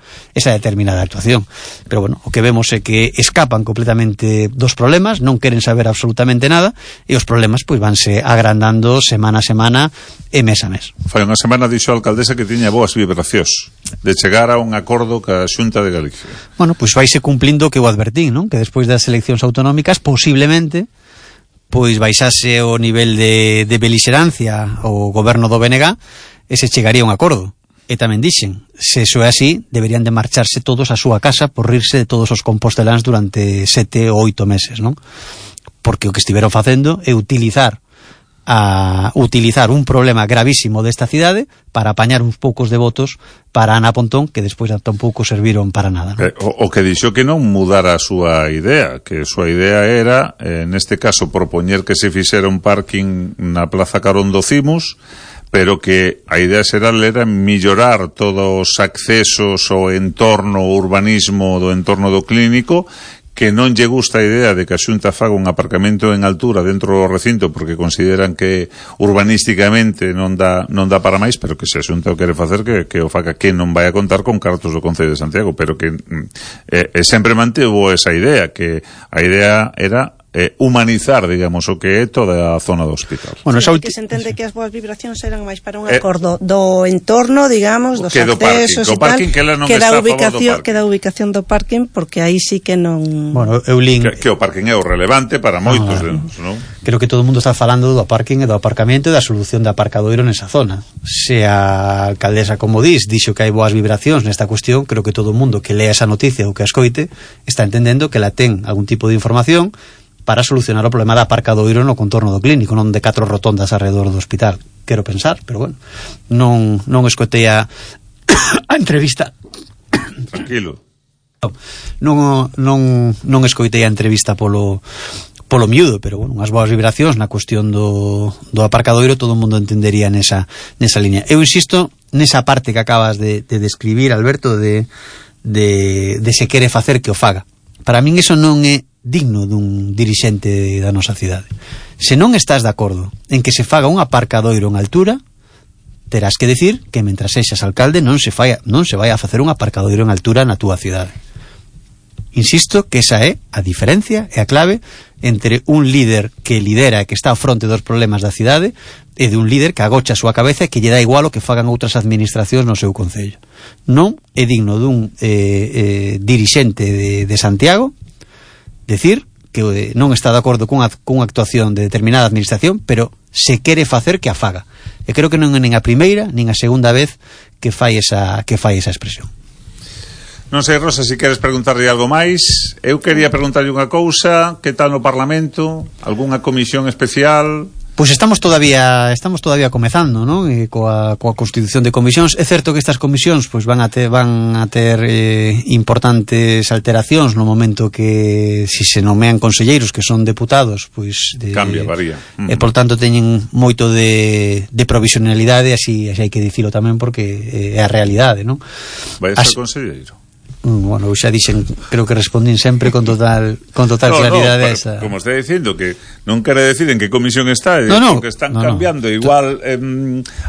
actuación. Pero bueno, o que vemos é que escapan completamente dos problemas, non queren saber absolutamente nada e os problemas pois vanse agrandando semana a semana e mes a mes. Fai unha semana dixo a alcaldesa que tiña boas vibracións de chegar a un acordo ca Xunta de Galicia. Bueno, pois vaise cumplindo o que eu advertín, non? Que despois das eleccións autonómicas posiblemente pois baixase o nivel de belixerancia o goberno do BNG e se chegaría a un acordo. E tamén dixen, se iso é así, deberían de marcharse todos a súa casa por rirse de todos os composteláns durante 7 ou 8 meses, non? Porque o que estiveron facendo é utilizar un problema gravísimo desta cidade para apañar uns poucos de votos para Ana Pontón, que despois tampouco serviron para nada, ¿no? O que dixo que non mudara a súa idea, que a súa idea era, neste caso, propoñer que se fixera un parking na Plaza Carón do Cimos, pero que a idea xeral era mellorar todos os accesos ao entorno, o urbanismo do entorno do clínico, que non lle gusta a idea de que a Xunta faga un aparcamento en altura dentro do recinto porque consideran que urbanísticamente non dá para máis, pero que se a Xunta o quere facer que o faga, que non vai a contar con cartos do Concello de Santiago, pero que sempre mantivo esa idea, que a idea era humanizar, digamos, o que é toda a zona do hospital. Bueno, que se entende que as boas vibracións eran máis para un acordo do entorno, digamos, dos accesos e tal, que da ubicación do parking, porque aí sí que non... Bueno, eu lin... que o parking é o relevante para moitos, non? Creo que todo o mundo está falando do parking e do aparcamento e da solución de aparcadoiro nesa zona. Se a alcaldesa, como dixo que hai boas vibracións nesta cuestión, creo que todo o mundo que lea esa noticia ou que a escoite está entendendo que la ten algún tipo de información para solucionar o problema de aparcadoiro no contorno do clínico, non de 4 rotondas alrededor do hospital. Quero pensar, pero bueno, non escoitei a entrevista. Tranquilo. Non escoitei a entrevista polo miúdo, pero bueno, unhas boas vibracións na cuestión do aparcadoiro todo o mundo entendería nesa línea. Eu insisto nesa parte que acabas de describir, Alberto, de se quere facer que o faga. Para min iso non é digno dun dirixente da nosa cidade. Se non estás de acordo en que se faga un aparcadoiro en altura, terás que decir que mentras sexas alcalde non se vai a facer un aparcadoiro en altura na túa cidade. Insisto que esa é a diferencia e a clave entre un líder que lidera e que está ao fronte dos problemas da cidade e de un líder que agocha a súa cabeza e que lle dá igual o que fagan outras administracións no seu concello. Non é digno dun dirixente de Santiago decir que non está de acordo cunha actuación de determinada administración, pero se quere facer que a faga. E creo que non é nin a primeira nin a segunda vez que fai esa expresión. Non sei, Rosa, se queres preguntarlle algo máis. Eu quería preguntarlle unha cousa. Que tal no Parlamento? Algúnha comisión especial? Pois estamos todavía comezando, non? Coa constitución de comisións. É certo que estas comisións pois van a ter importantes alteracións no momento que si se nomean conselleiros que son deputados, pois cambia, varía. E por tanto teñen moito de provisionalidade, así hai que dicilo tamén porque é a realidade, non? Vai ser conselleiro? Bueno, xa dixen, creo que respondín sempre con total claridade esa. Como está dicindo que non quere decir en que comisión está, porque están cambiando, igual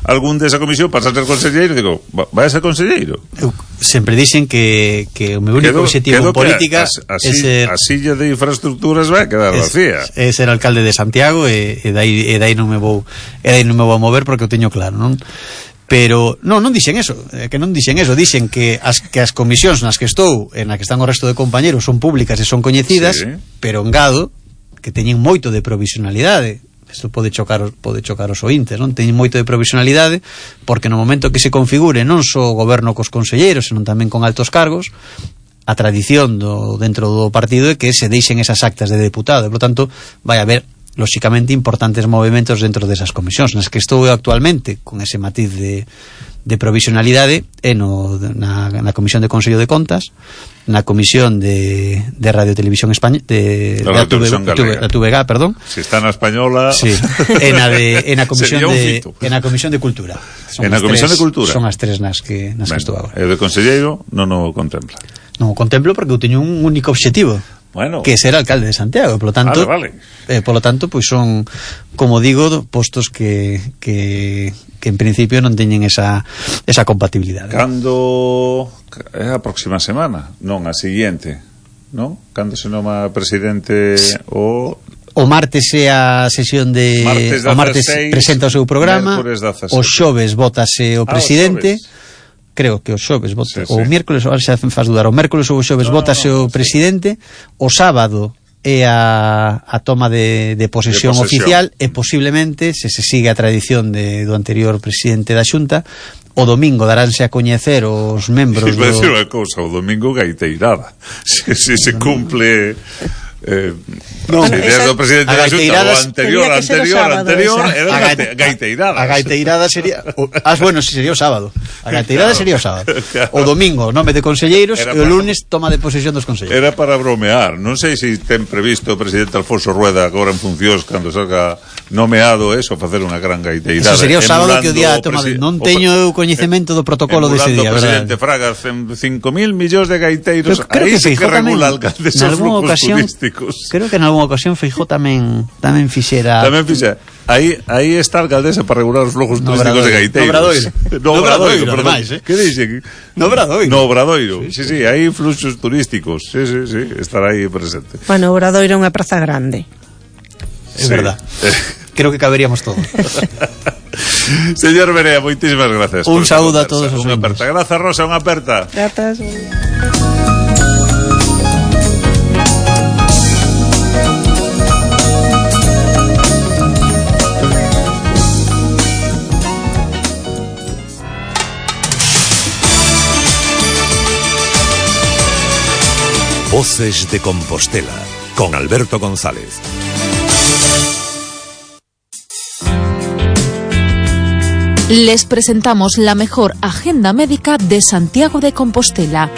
algún desa comisión pasa a ser conselleiro, digo, vai a ser conselleiro. Eu sempre dixen que o meu único objetivo en política é ser... A silla de infraestructuras vai quedar vacía. É ser alcalde de Santiago e dai non me vou a mover porque o teño claro, non? Pero non dixen eso, dixen que as comisións nas que estou, na que están o resto de compañeros, son públicas e son coñecidas, sí. Pero engado que teñen moito de provisionalidade. Isto pode chocar os ointes, non? Teñen moito de provisionalidade porque no momento que se configure non só o goberno cos conselleiros, senón tamén con altos cargos, a tradición dentro do partido é que se deixen esas actas de deputado, e por tanto vai haber lóxicamente importantes movimentos dentro desas comisións nas que estou actualmente con ese matiz de provisionalidade na Comisión de Consello de Contas, na Comisión de Radio Televisión Española da TVG, perdón. Se está na española. Sí. Na Comisión de Cultura. En a Comisión de Cultura. Son as tres nas que estou agora. E de conselleiro non o contempla. Non o contemplo porque eu teño un único obxectivo. Bueno. Que ser alcalde de Santiago, por lo tanto, pois son, como digo, postos que en principio non teñen esa compatibilidade. Cando é a próxima semana, non a seguinte, non? Cando se noma presidente o martes é a sesión de o martes presenta o seu programa, o xoves vótase o presidente. Creo que o xoves vota, o miércoles, ahora xa faz dudar, o mércoles ou o xoves votase o presidente, o sábado é a toma de posesión oficial e posiblemente, se sigue a tradición do anterior presidente da Xunta, o domingo daránse a coñecer os membros do... decir unha cousa, o domingo gaiteirada, se cumple... desde o presidente da Xunta o anterior era gaiteirada. A gaiteirada sería sería o sábado. A gaiteirada sería o sábado. O domingo nome de conselleiros e o lunes toma de posesión dos conselleiros. Era para bromear. Non sei se ten previsto o presidente Alfonso Rueda agora en funcións cando salga nomeado eso, facer unha gran gaiteirada. Eso sería o sábado que o día toma non teño coñecemento do protocolo dese día, verdade? O presidente Fragas 5.000 millóns de gaiteiros, aí sí que regula alcaldes os flujos turísticos. Creo que en algunha ocasión Feijóo tamén fixera. Aí está a alcaldesa para regular os flujos turísticos de gaiteiros. No Obradoiro, perdón. Que dixen? No Obradoiro. Sí, hai fluxos turísticos. Sí, estará aí presente. Bueno, Obradoiro é unha praza grande. É verdad. Creo que caberíamos todos. Señor Berea, moitísimas gracias. Un saúdo a todos os membros. Grazas, Rosa, unha aperta. Grazas. Voces de Compostela, con Alberto González. Les presentamos la mejor agenda médica de Santiago de Compostela.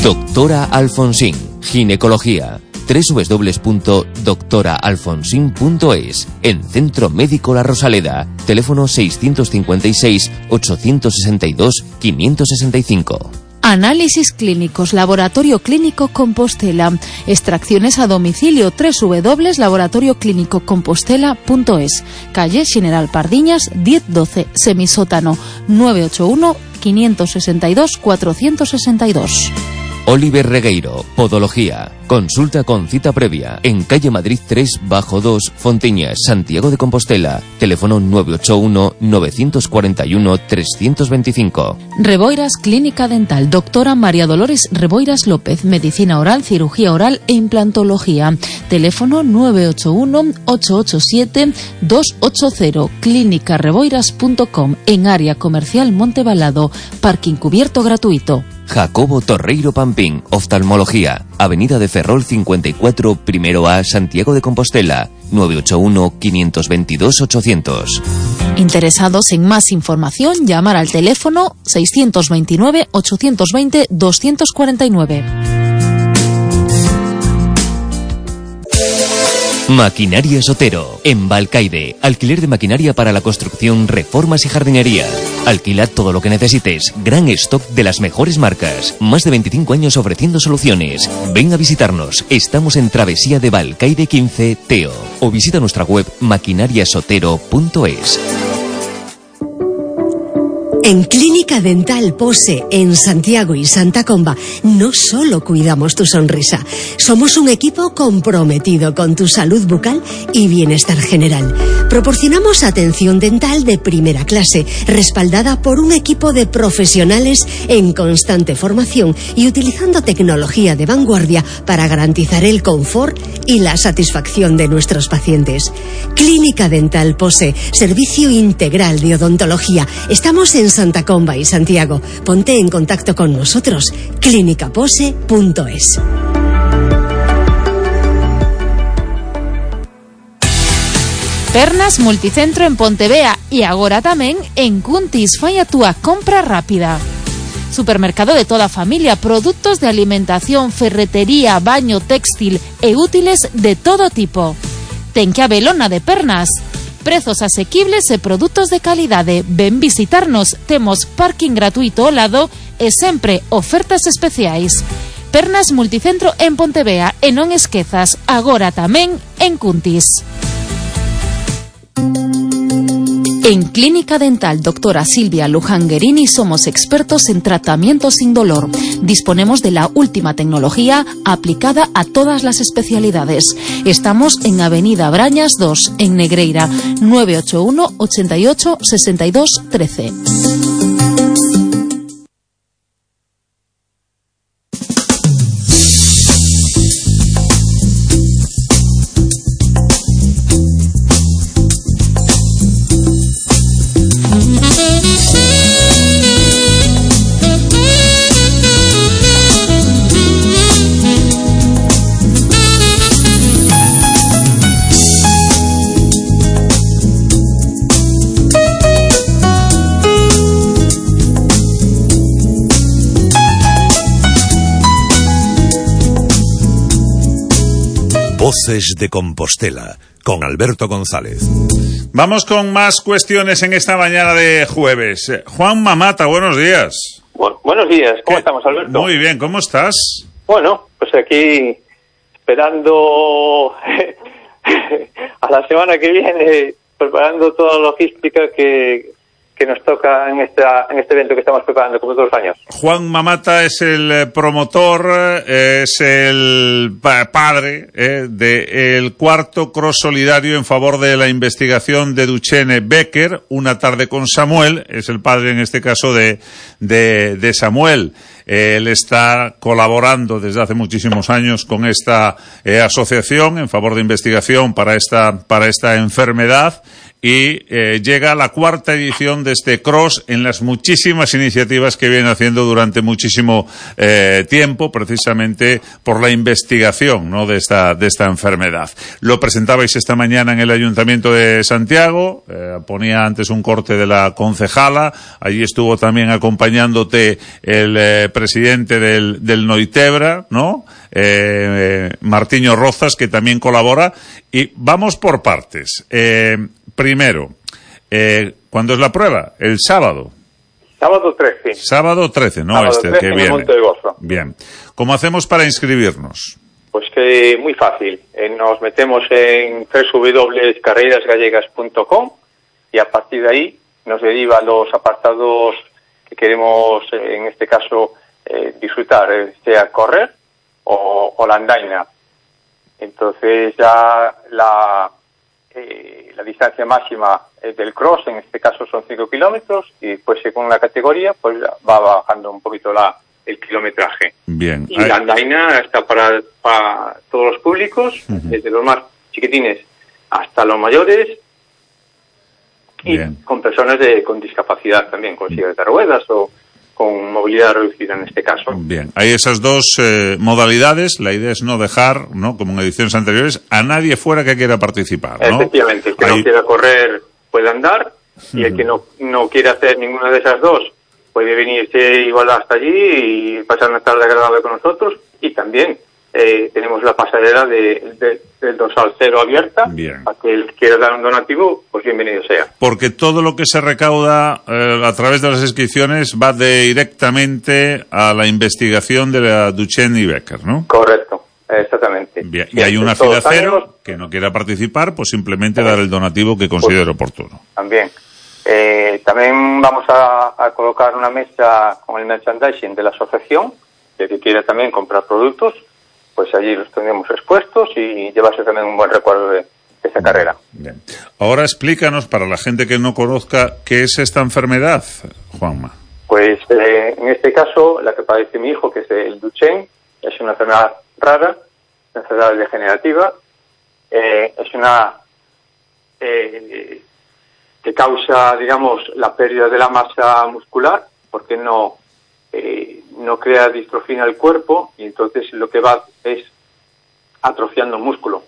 Doctora Alfonsín, ginecología. www.doctoraalfonsín.es. En Centro Médico La Rosaleda. Teléfono 656 862 565. Análisis clínicos, Laboratorio Clínico Compostela. Extracciones a domicilio, www.laboratorioclinicocompostela.es. Calle General Pardiñas 1012, semisótano 981 562 462. Oliver Regueiro, Podología. Consulta con cita previa en calle Madrid 3/2, Fontiñas, Santiago de Compostela. Teléfono 981 941 325. Reboiras Clínica Dental. Doctora María Dolores Reboiras López. Medicina oral, cirugía oral e implantología. Teléfono 981 887 280. clínicareboiras.com. En área comercial Montebalado. Parking cubierto gratuito. Jacobo Torreiro Pampín, oftalmología, Avenida de Ferrol 54, primero A, Santiago de Compostela, 981-522-800. Interesados en más información, llamar al teléfono 629-820-249. Maquinaria Sotero, en Balcaide. Alquiler de maquinaria para la construcción, reformas y jardinería. Alquila todo lo que necesites. Gran stock de las mejores marcas. Más de 25 años ofreciendo soluciones. Ven a visitarnos. Estamos en Travesía de Balcaide 15, Teo. O visita nuestra web maquinariasotero.es. En Clínica Dental Pose, en Santiago y Santa Comba, no solo cuidamos tu sonrisa, somos un equipo comprometido con tu salud bucal y bienestar general. Proporcionamos atención dental de primera clase, respaldada por un equipo de profesionales en constante formación y utilizando tecnología de vanguardia para garantizar el confort y la satisfacción de nuestros pacientes. Clínica Dental Pose, servicio integral de odontología. Estamos en Santa Comba y Santiago. Ponte en contacto con nosotros. clinicapose.es. Pernas Multicentro en Pontevea y agora tamén en Cuntis. Fai a túa compra rápida. Supermercado de toda a familia, produtos de alimentación, ferretería, baño, textil e útiles de todo tipo. Ten que habelona de Pernas. Prezos asequibles e produtos de calidade. Ven visitarnos, temos parking gratuito ao lado e sempre ofertas especiais. Pernas Multicentro en Pontevea e non esquezas, agora tamén en Cuntis. En Clínica Dental Doctora Silvia Luján-Guerini somos expertos en tratamientos sin dolor. Disponemos de la última tecnología aplicada a todas las especialidades. Estamos en Avenida Brañas 2, en Negreira, 981 88 62 13. Voces de Compostela, con Alberto González. Vamos con más cuestiones en esta mañana de jueves. Juan Mamata, buenos días. Buenos días, ¿cómo estamos, Alberto? Muy bien, ¿cómo estás? Bueno, pues aquí esperando a la semana que viene, preparando toda la logística que nos toca en este evento que estamos preparando como todos los años. Juan Mamata es el promotor, es el padre del cuarto cross solidario en favor de la investigación de Duchenne Becker, Una tarde con Samuel. Es el padre en este caso de Samuel. Él está colaborando desde hace muchísimos años con esta asociación en favor de investigación para esta enfermedad. Y llega la cuarta edición de este cross en las muchísimas iniciativas que viene haciendo durante muchísimo tiempo, precisamente por la investigación, ¿no?, de esta enfermedad. Lo presentabais esta mañana en el Ayuntamiento de Santiago, ponía antes un corte de la concejala, allí estuvo también acompañándote el presidente del Noitebra, ¿no?, Martiño Rozas, que también colabora, y vamos por partes. Primero, ¿cuándo es la prueba? El sábado. Sábado 13. Sábado 13, ¿no? Sábado 13, que en viene. el Monte de Gozo. Bien. ¿Cómo hacemos para inscribirnos? Pues que muy fácil. Nos metemos en www.carrerasgallegas.com y a partir de ahí nos deriva a los apartados que queremos, en este caso, disfrutar, sea correr o la andaina. Entonces ya la distancia máxima del cross, en este caso son 5 kilómetros, y después según la categoría pues va bajando un poquito el kilometraje. Bien. Y la andaina está para todos los públicos, desde los más chiquitines hasta los mayores, y bien, con personas con discapacidad también, con silla de ruedas o con movilidad reducida en este caso. Bien, hay esas dos modalidades. La idea es no dejar, ¿no?, como en ediciones anteriores, a nadie fuera que quiera participar, ¿no? Efectivamente, el que no quiera correr puede andar, y el que no quiere hacer ninguna de esas dos puede venirse igual hasta allí y pasar una tarde agradable con nosotros. Y también tenemos la pasarela del dorsal cero abierta. Bien. A que el que quiera dar un donativo, pues bienvenido sea. Porque todo lo que se recauda a través de las inscripciones va directamente a la investigación de la Duchenne y Becker, ¿no? Correcto, exactamente. Bien. Y hay una fila cero que no quiera participar, pues simplemente dar el donativo que considere oportuno. También. También vamos a colocar una mesa con el merchandising de la asociación, el que quiera también comprar productos, pues allí los tendremos expuestos y llevarse también un buen recuerdo de esa carrera. Bien. Ahora explícanos, para la gente que no conozca, ¿qué es esta enfermedad, Juanma? Pues en este caso, la que padece mi hijo, que es el Duchenne, es una enfermedad rara, una enfermedad degenerativa, es una que causa, digamos, la pérdida de la masa muscular, porque no crea distrofina del cuerpo, y entonces lo que va es atrofiando el músculo.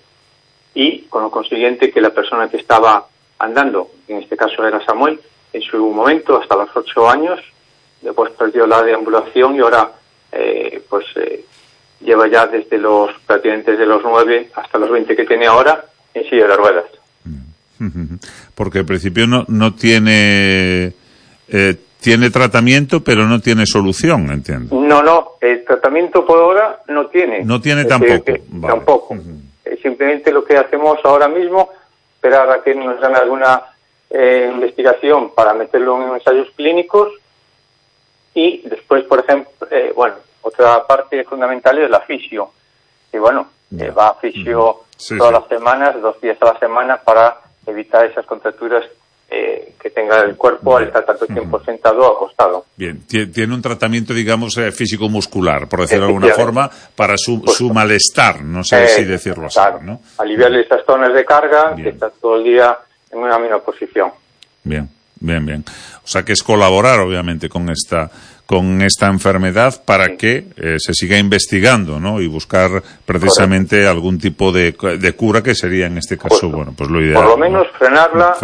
Y con lo consiguiente que la persona que estaba andando, en este caso era Samuel, en su momento, hasta los 8 años, después perdió la deambulación y ahora lleva ya prácticamente desde los 9 hasta los 20 que tiene ahora en silla de ruedas. Porque al principio no tiene tiene tratamiento, pero no tiene solución, entiendo. No, el tratamiento por ahora no tiene. No tiene tampoco. Vale. Tampoco. Simplemente lo que hacemos ahora mismo, esperar a que nos den alguna investigación para meterlo en ensayos clínicos, y después, por ejemplo, otra parte fundamental es la fisio. Y va a fisio todas las semanas, 2 días a la semana, para evitar esas contracturas que tenga el cuerpo al estar tanto tiempo sentado o acostado. Bien, tiene un tratamiento, digamos, físico-muscular, por decirlo de alguna forma, para su malestar, no sé si decirlo así, ¿no? Aliviarle esas zonas de carga, que está todo el día en una misma posición. Bien. O sea que es colaborar, obviamente, con esta enfermedad para que se siga investigando, ¿no? Y buscar precisamente algún tipo de cura, que sería en este caso, pues lo ideal. Por lo menos frenarla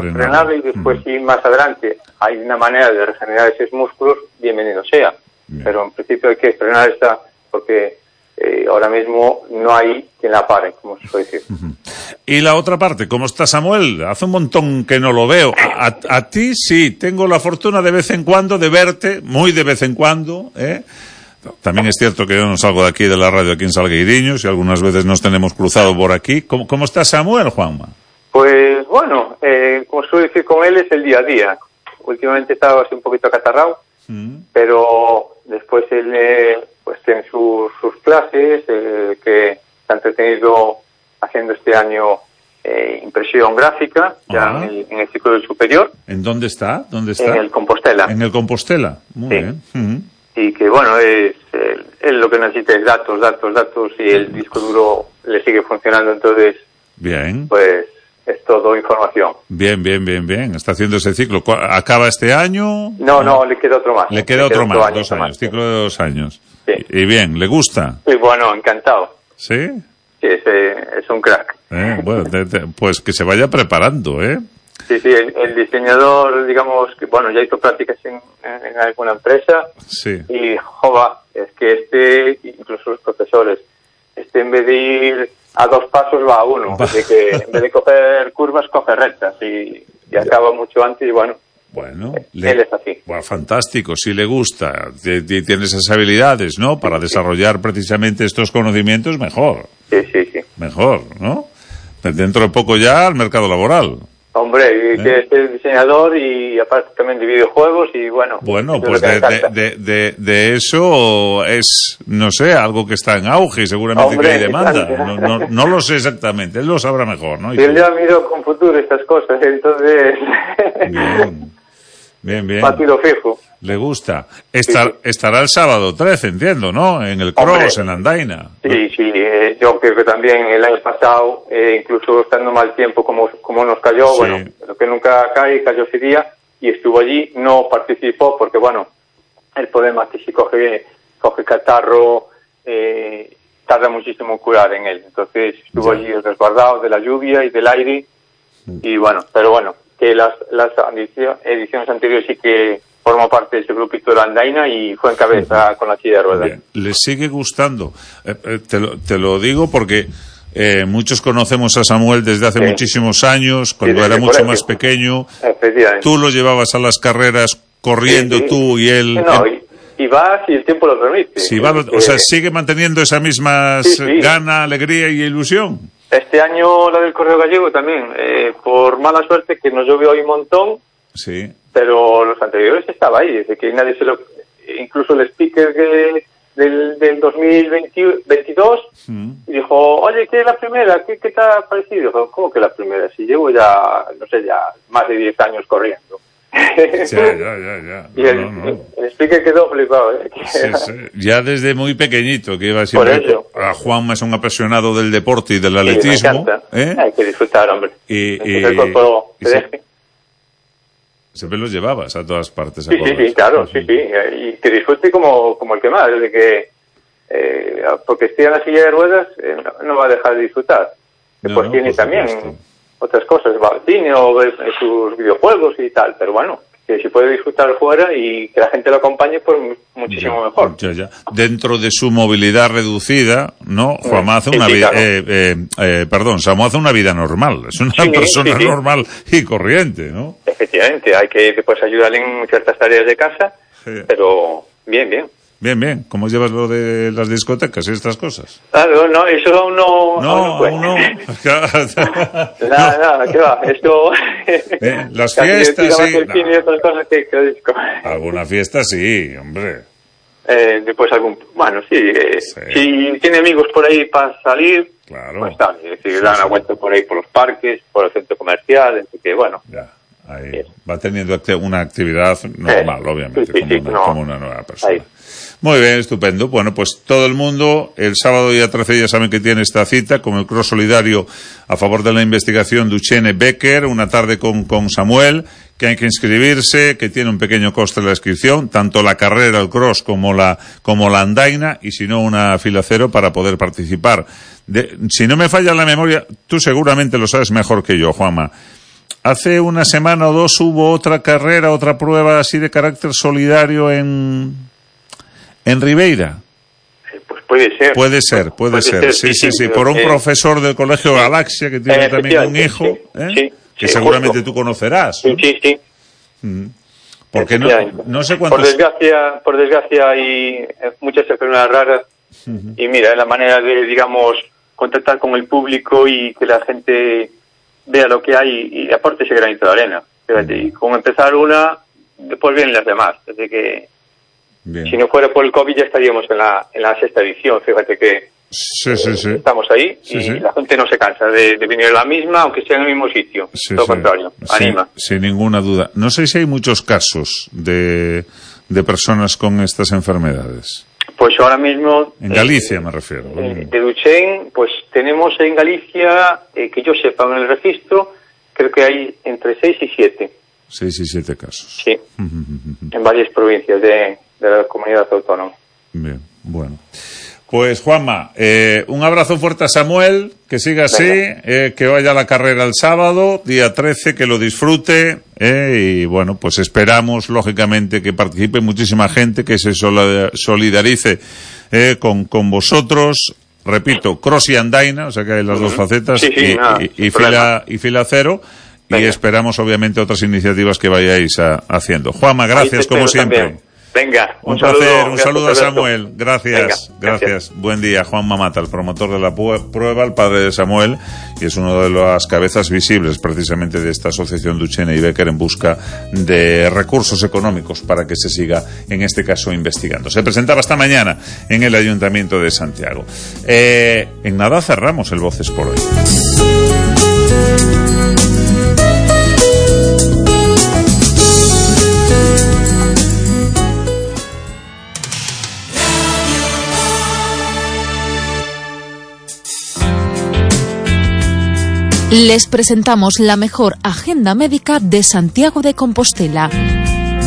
y después, si más adelante hay una manera de regenerar esos músculos, bienvenido sea. Bien. Pero en principio hay que frenar esta, porque ahora mismo no hay quien la pare, como se suele decir. Y la otra parte, ¿cómo está Samuel? Hace un montón que no lo veo. A ti sí, tengo la fortuna de vez en cuando de verte, muy de vez en cuando, ¿eh? También es cierto que yo no salgo de aquí, de la radio aquí en Salgueiriños, y algunas veces nos tenemos cruzado por aquí. ¿Cómo está Samuel, Juanma? Pues como suelo decir con él, es el día a día. Últimamente estaba así un poquito acatarrado, pero después él tiene sus clases, que se ha entretenido haciendo este año impresión gráfica, ya en el ciclo superior. ¿En dónde está? En el Compostela. En el Compostela, muy bien. Y que él lo que necesita es datos, y el disco duro le sigue funcionando, entonces bien, pues es todo información. Bien. Está haciendo ese ciclo. ¿Acaba este año? No, le queda otro más. Le queda otro más, 2 años, ciclo de 2 años. Sí. Y bien, ¿le gusta? Sí, encantado. ¿Sí? Sí, es un crack. Pues que se vaya preparando, ¿eh? Sí, el diseñador, digamos, que ya hizo prácticas en alguna empresa. Sí. Y, es que incluso los profesores, en vez de ir a 2 pasos va a 1. Así que en vez de coger curvas, coge rectas y acaba mucho antes y él es así. Fantástico, si le gusta, tiene esas habilidades, ¿no? Para desarrollar precisamente estos conocimientos, mejor. Sí. Mejor, ¿no? Dentro de poco ya al mercado laboral. Hombre, que es diseñador y aparte también de videojuegos y pues de eso es, no sé, algo que está en auge y seguramente que hay demanda. No lo sé exactamente, él lo sabrá mejor, ¿no? Y él ya miro con futuro estas cosas, entonces... Bien. Partido fijo. Le gusta. Estará el sábado 13, entiendo, ¿no? En el cross, en Andaina. Sí. Yo creo que también el año pasado, incluso estando mal tiempo como nos cayó, lo que nunca cayó ese día, y estuvo allí, no participó porque, el problema es que si coge catarro, tarda muchísimo en curar en él. Entonces estuvo allí resguardado de la lluvia y del aire. Y bueno, pero bueno, que las ediciones anteriores sí que formó parte de ese grupito de la andaina y fue en cabeza con la silla de ruedas. Bien. ¿Le sigue gustando? Te lo digo porque muchos conocemos a Samuel desde hace muchísimos años, cuando era mucho más pequeño. Tú lo llevabas a las carreras corriendo tú y él. No, y va si el tiempo lo permite. Si va, o sea, sigue manteniendo esa misma gana, alegría y ilusión. Este año la del Correo Gallego también, por mala suerte que nos llovió hoy un montón. Sí. Pero los anteriores estaba ahí, desde que nadie incluso el speaker del 2022 dijo, oye, ¿qué es la primera? ¿Qué te ha parecido? Dijo, ¿cómo que la primera? Si llevo ya, no sé, ya más de 10 años corriendo. Ya. Y el speaker quedó flipado. Sí. Ya desde muy pequeñito, que iba siempre. A Juanma es un apasionado del deporte y del atletismo. Me encanta. Hay que disfrutar, hombre. El cuerpo te deje. Siempre los llevabas a todas partes. Sí, claro, sí. Y que disfrute como el que más, desde que porque esté en la silla de ruedas no va a dejar de disfrutar. Después tiene también otras cosas, va al cine o ve sus videojuegos y tal, pero bueno, que si puede disfrutar fuera y que la gente lo acompañe, pues muchísimo mejor. Ya. Dentro de su movilidad reducida, ¿no? Juanma hace una vida, Samu hace una vida normal, es una persona normal y corriente, ¿no? Efectivamente, hay que después ayudarle en ciertas tareas de casa, pero bien. Bien. ¿Cómo llevas lo de las discotecas y estas cosas? Claro, no, eso aún no. No. Nada, ¿qué va? Esto. Las fiestas, sí. Y otras cosas que disco. Alguna fiesta, sí, hombre. Después bueno, sí. Si tiene amigos por ahí para salir, claro. Pues está. Es decir, dan una vuelta por ahí por los parques, por el centro comercial, así que bueno. Ya. Ahí va teniendo una actividad normal, obviamente, como una nueva persona. Ahí. Muy bien, estupendo. Bueno, pues todo el mundo, el sábado día 13 ya saben que tiene esta cita con el Cross Solidario a favor de la investigación Duchenne Becker, una tarde con Samuel, que hay que inscribirse, que tiene un pequeño coste la inscripción, tanto la carrera, el cross, como la andaina, y si no, una fila cero para poder participar. Si no me falla la memoria, tú seguramente lo sabes mejor que yo, Juanma. Hace una semana o dos hubo otra carrera, otra prueba así de carácter solidario en Ribeira. Pues puede ser. Sí, por un profesor del Colegio Galaxia que tiene también un hijo, que seguramente tú conocerás. ¿No? Sí. Porque no sé cuántos... Por desgracia hay muchas enfermedades raras y mira, la manera de, digamos, contactar con el público y que la gente vea lo que hay y aporte ese granito de arena. Fíjate, y con empezar una, después vienen las demás. Así que si no fuera por el COVID ya estaríamos en la sexta edición. Fíjate que estamos ahí y la gente no se cansa de venir a la misma, aunque sea en el mismo sitio. Todo lo contrario, anima. Sin ninguna duda. No sé si hay muchos casos de personas con estas enfermedades. Pues ahora mismo... En Galicia me refiero. De Duchenne, pues tenemos en Galicia, que yo sepa en el registro, creo que hay entre 6 y 7. 6 y 7 casos. Sí, en varias provincias de la comunidad autónoma. Bien, bueno. Pues Juanma, un abrazo fuerte a Samuel, que siga así, que vaya a la carrera el sábado, día 13, que lo disfrute, y bueno, pues esperamos, lógicamente, que participe muchísima gente, que se solidarice con vosotros. Repito, cross y andaina, o sea que hay las dos facetas, y fila cero, y esperamos, obviamente, otras iniciativas que vayáis haciendo. Juanma, gracias, como siempre. También. Venga, un saludo a Samuel. Gracias. Buen día. Juanma Mata, el promotor de la prueba, el padre de Samuel, y es uno de las cabezas visibles precisamente de esta asociación Duchenne y Becker en busca de recursos económicos para que se siga, en este caso, investigando. Se presentaba esta mañana en el Ayuntamiento de Santiago. En nada cerramos el Voces por hoy. Les presentamos la mejor agenda médica de Santiago de Compostela.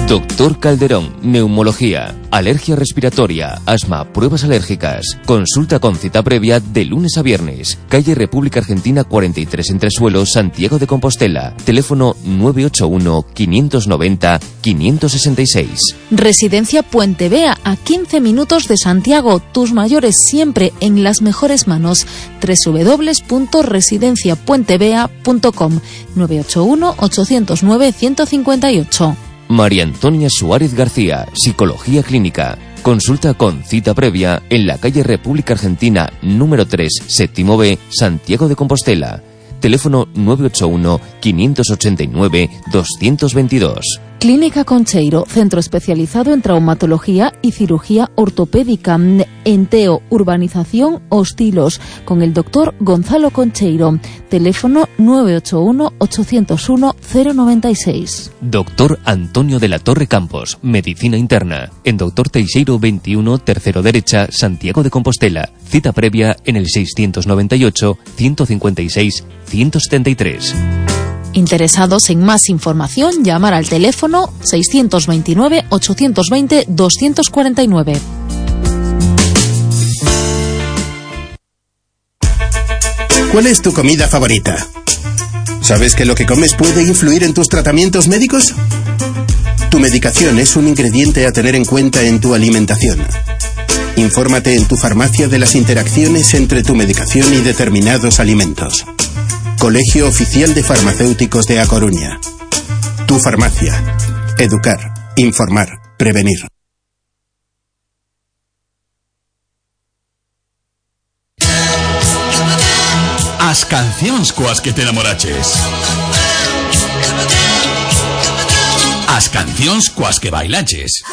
Doctor Calderón, neumología, alergia respiratoria, asma, pruebas alérgicas. Consulta con cita previa de lunes a viernes. Calle República Argentina 43 Entresuelo, Santiago de Compostela. Teléfono 981-590-566. Residencia Puente Vea, a 15 minutos de Santiago. Tus mayores siempre en las mejores manos. www.residenciapuentevea.com 981-809-158. María Antonia Suárez García, Psicología Clínica. Consulta con cita previa en la calle República Argentina número 3, séptimo B, Santiago de Compostela. Teléfono 981-589-222. Clínica Concheiro, centro especializado en traumatología y cirugía ortopédica, Enteo, Urbanización Hostilos, con el doctor Gonzalo Concheiro. Teléfono 981-801-096. Doctor Antonio de la Torre Campos, Medicina Interna, en Doctor Teixeiro 21, tercero derecha, Santiago de Compostela. Cita previa en el 629-156-173. Interesados en más información, llamar al teléfono 629-820-249. ¿Cuál es tu comida favorita? ¿Sabes que lo que comes puede influir en tus tratamientos médicos? Tu medicación es un ingrediente a tener en cuenta en tu alimentación. Infórmate en tu farmacia de las interacciones entre tu medicación y determinados alimentos. Colegio Oficial de Farmacéuticos de A Coruña. Tu farmacia. Educar, informar, prevenir. As cancións coas que te enamoraches. As cancións coas que bailaches.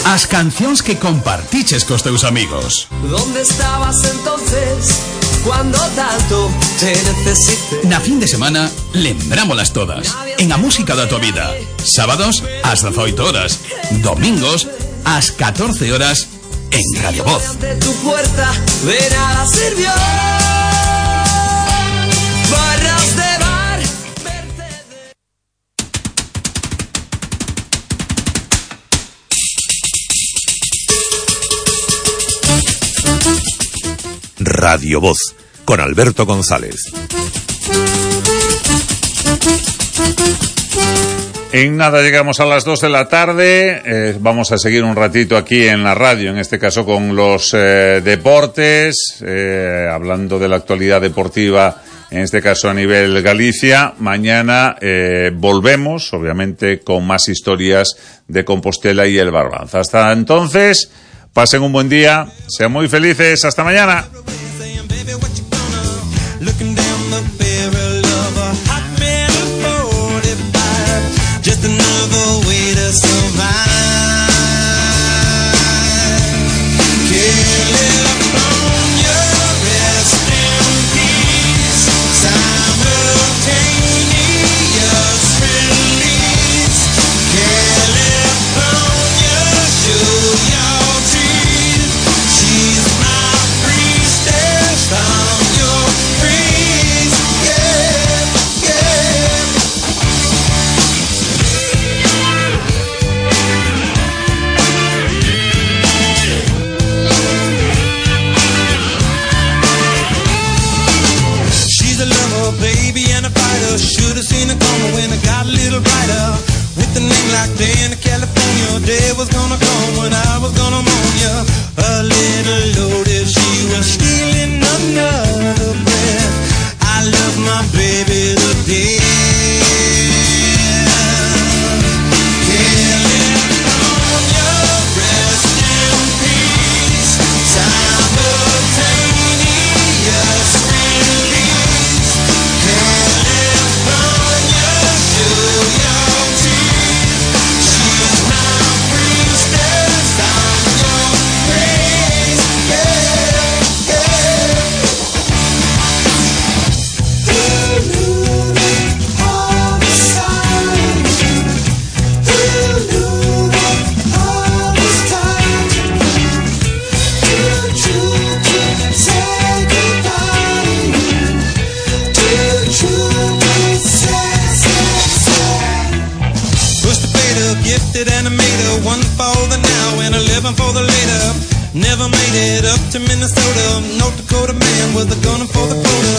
As cancións que compartiches cos teus amigos. ¿Dónde estabas entonces cuando tanto te necesité? Na fin de semana, lembrámolas todas. En a música da tua vida. Sábados, ás 18 horas. Domingos, ás 14 horas, en Radio Voz. Ante tu puerta de nada sirvió. Barras de bar. Radio Voz, con Alberto González. En nada llegamos a las 2 de la tarde, vamos a seguir un ratito aquí en la radio, en este caso con los deportes, hablando de la actualidad deportiva, en este caso a nivel Galicia. Mañana volvemos, obviamente, con más historias de Compostela y el Barbanza. Hasta entonces, pasen un buen día, sean muy felices, hasta mañana. Should've seen it coming when it got a little brighter. With a name like day in California, day was gonna come when I was gonna moan ya. A little loaded, she was stealing another breath. I love my baby to death. California, rest in peace. Simultaneous release. Show your teeth. She's my priestess. Never made it up to Minnesota. North Dakota man with a gun for the quota.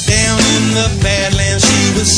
Down in the Badlands, she was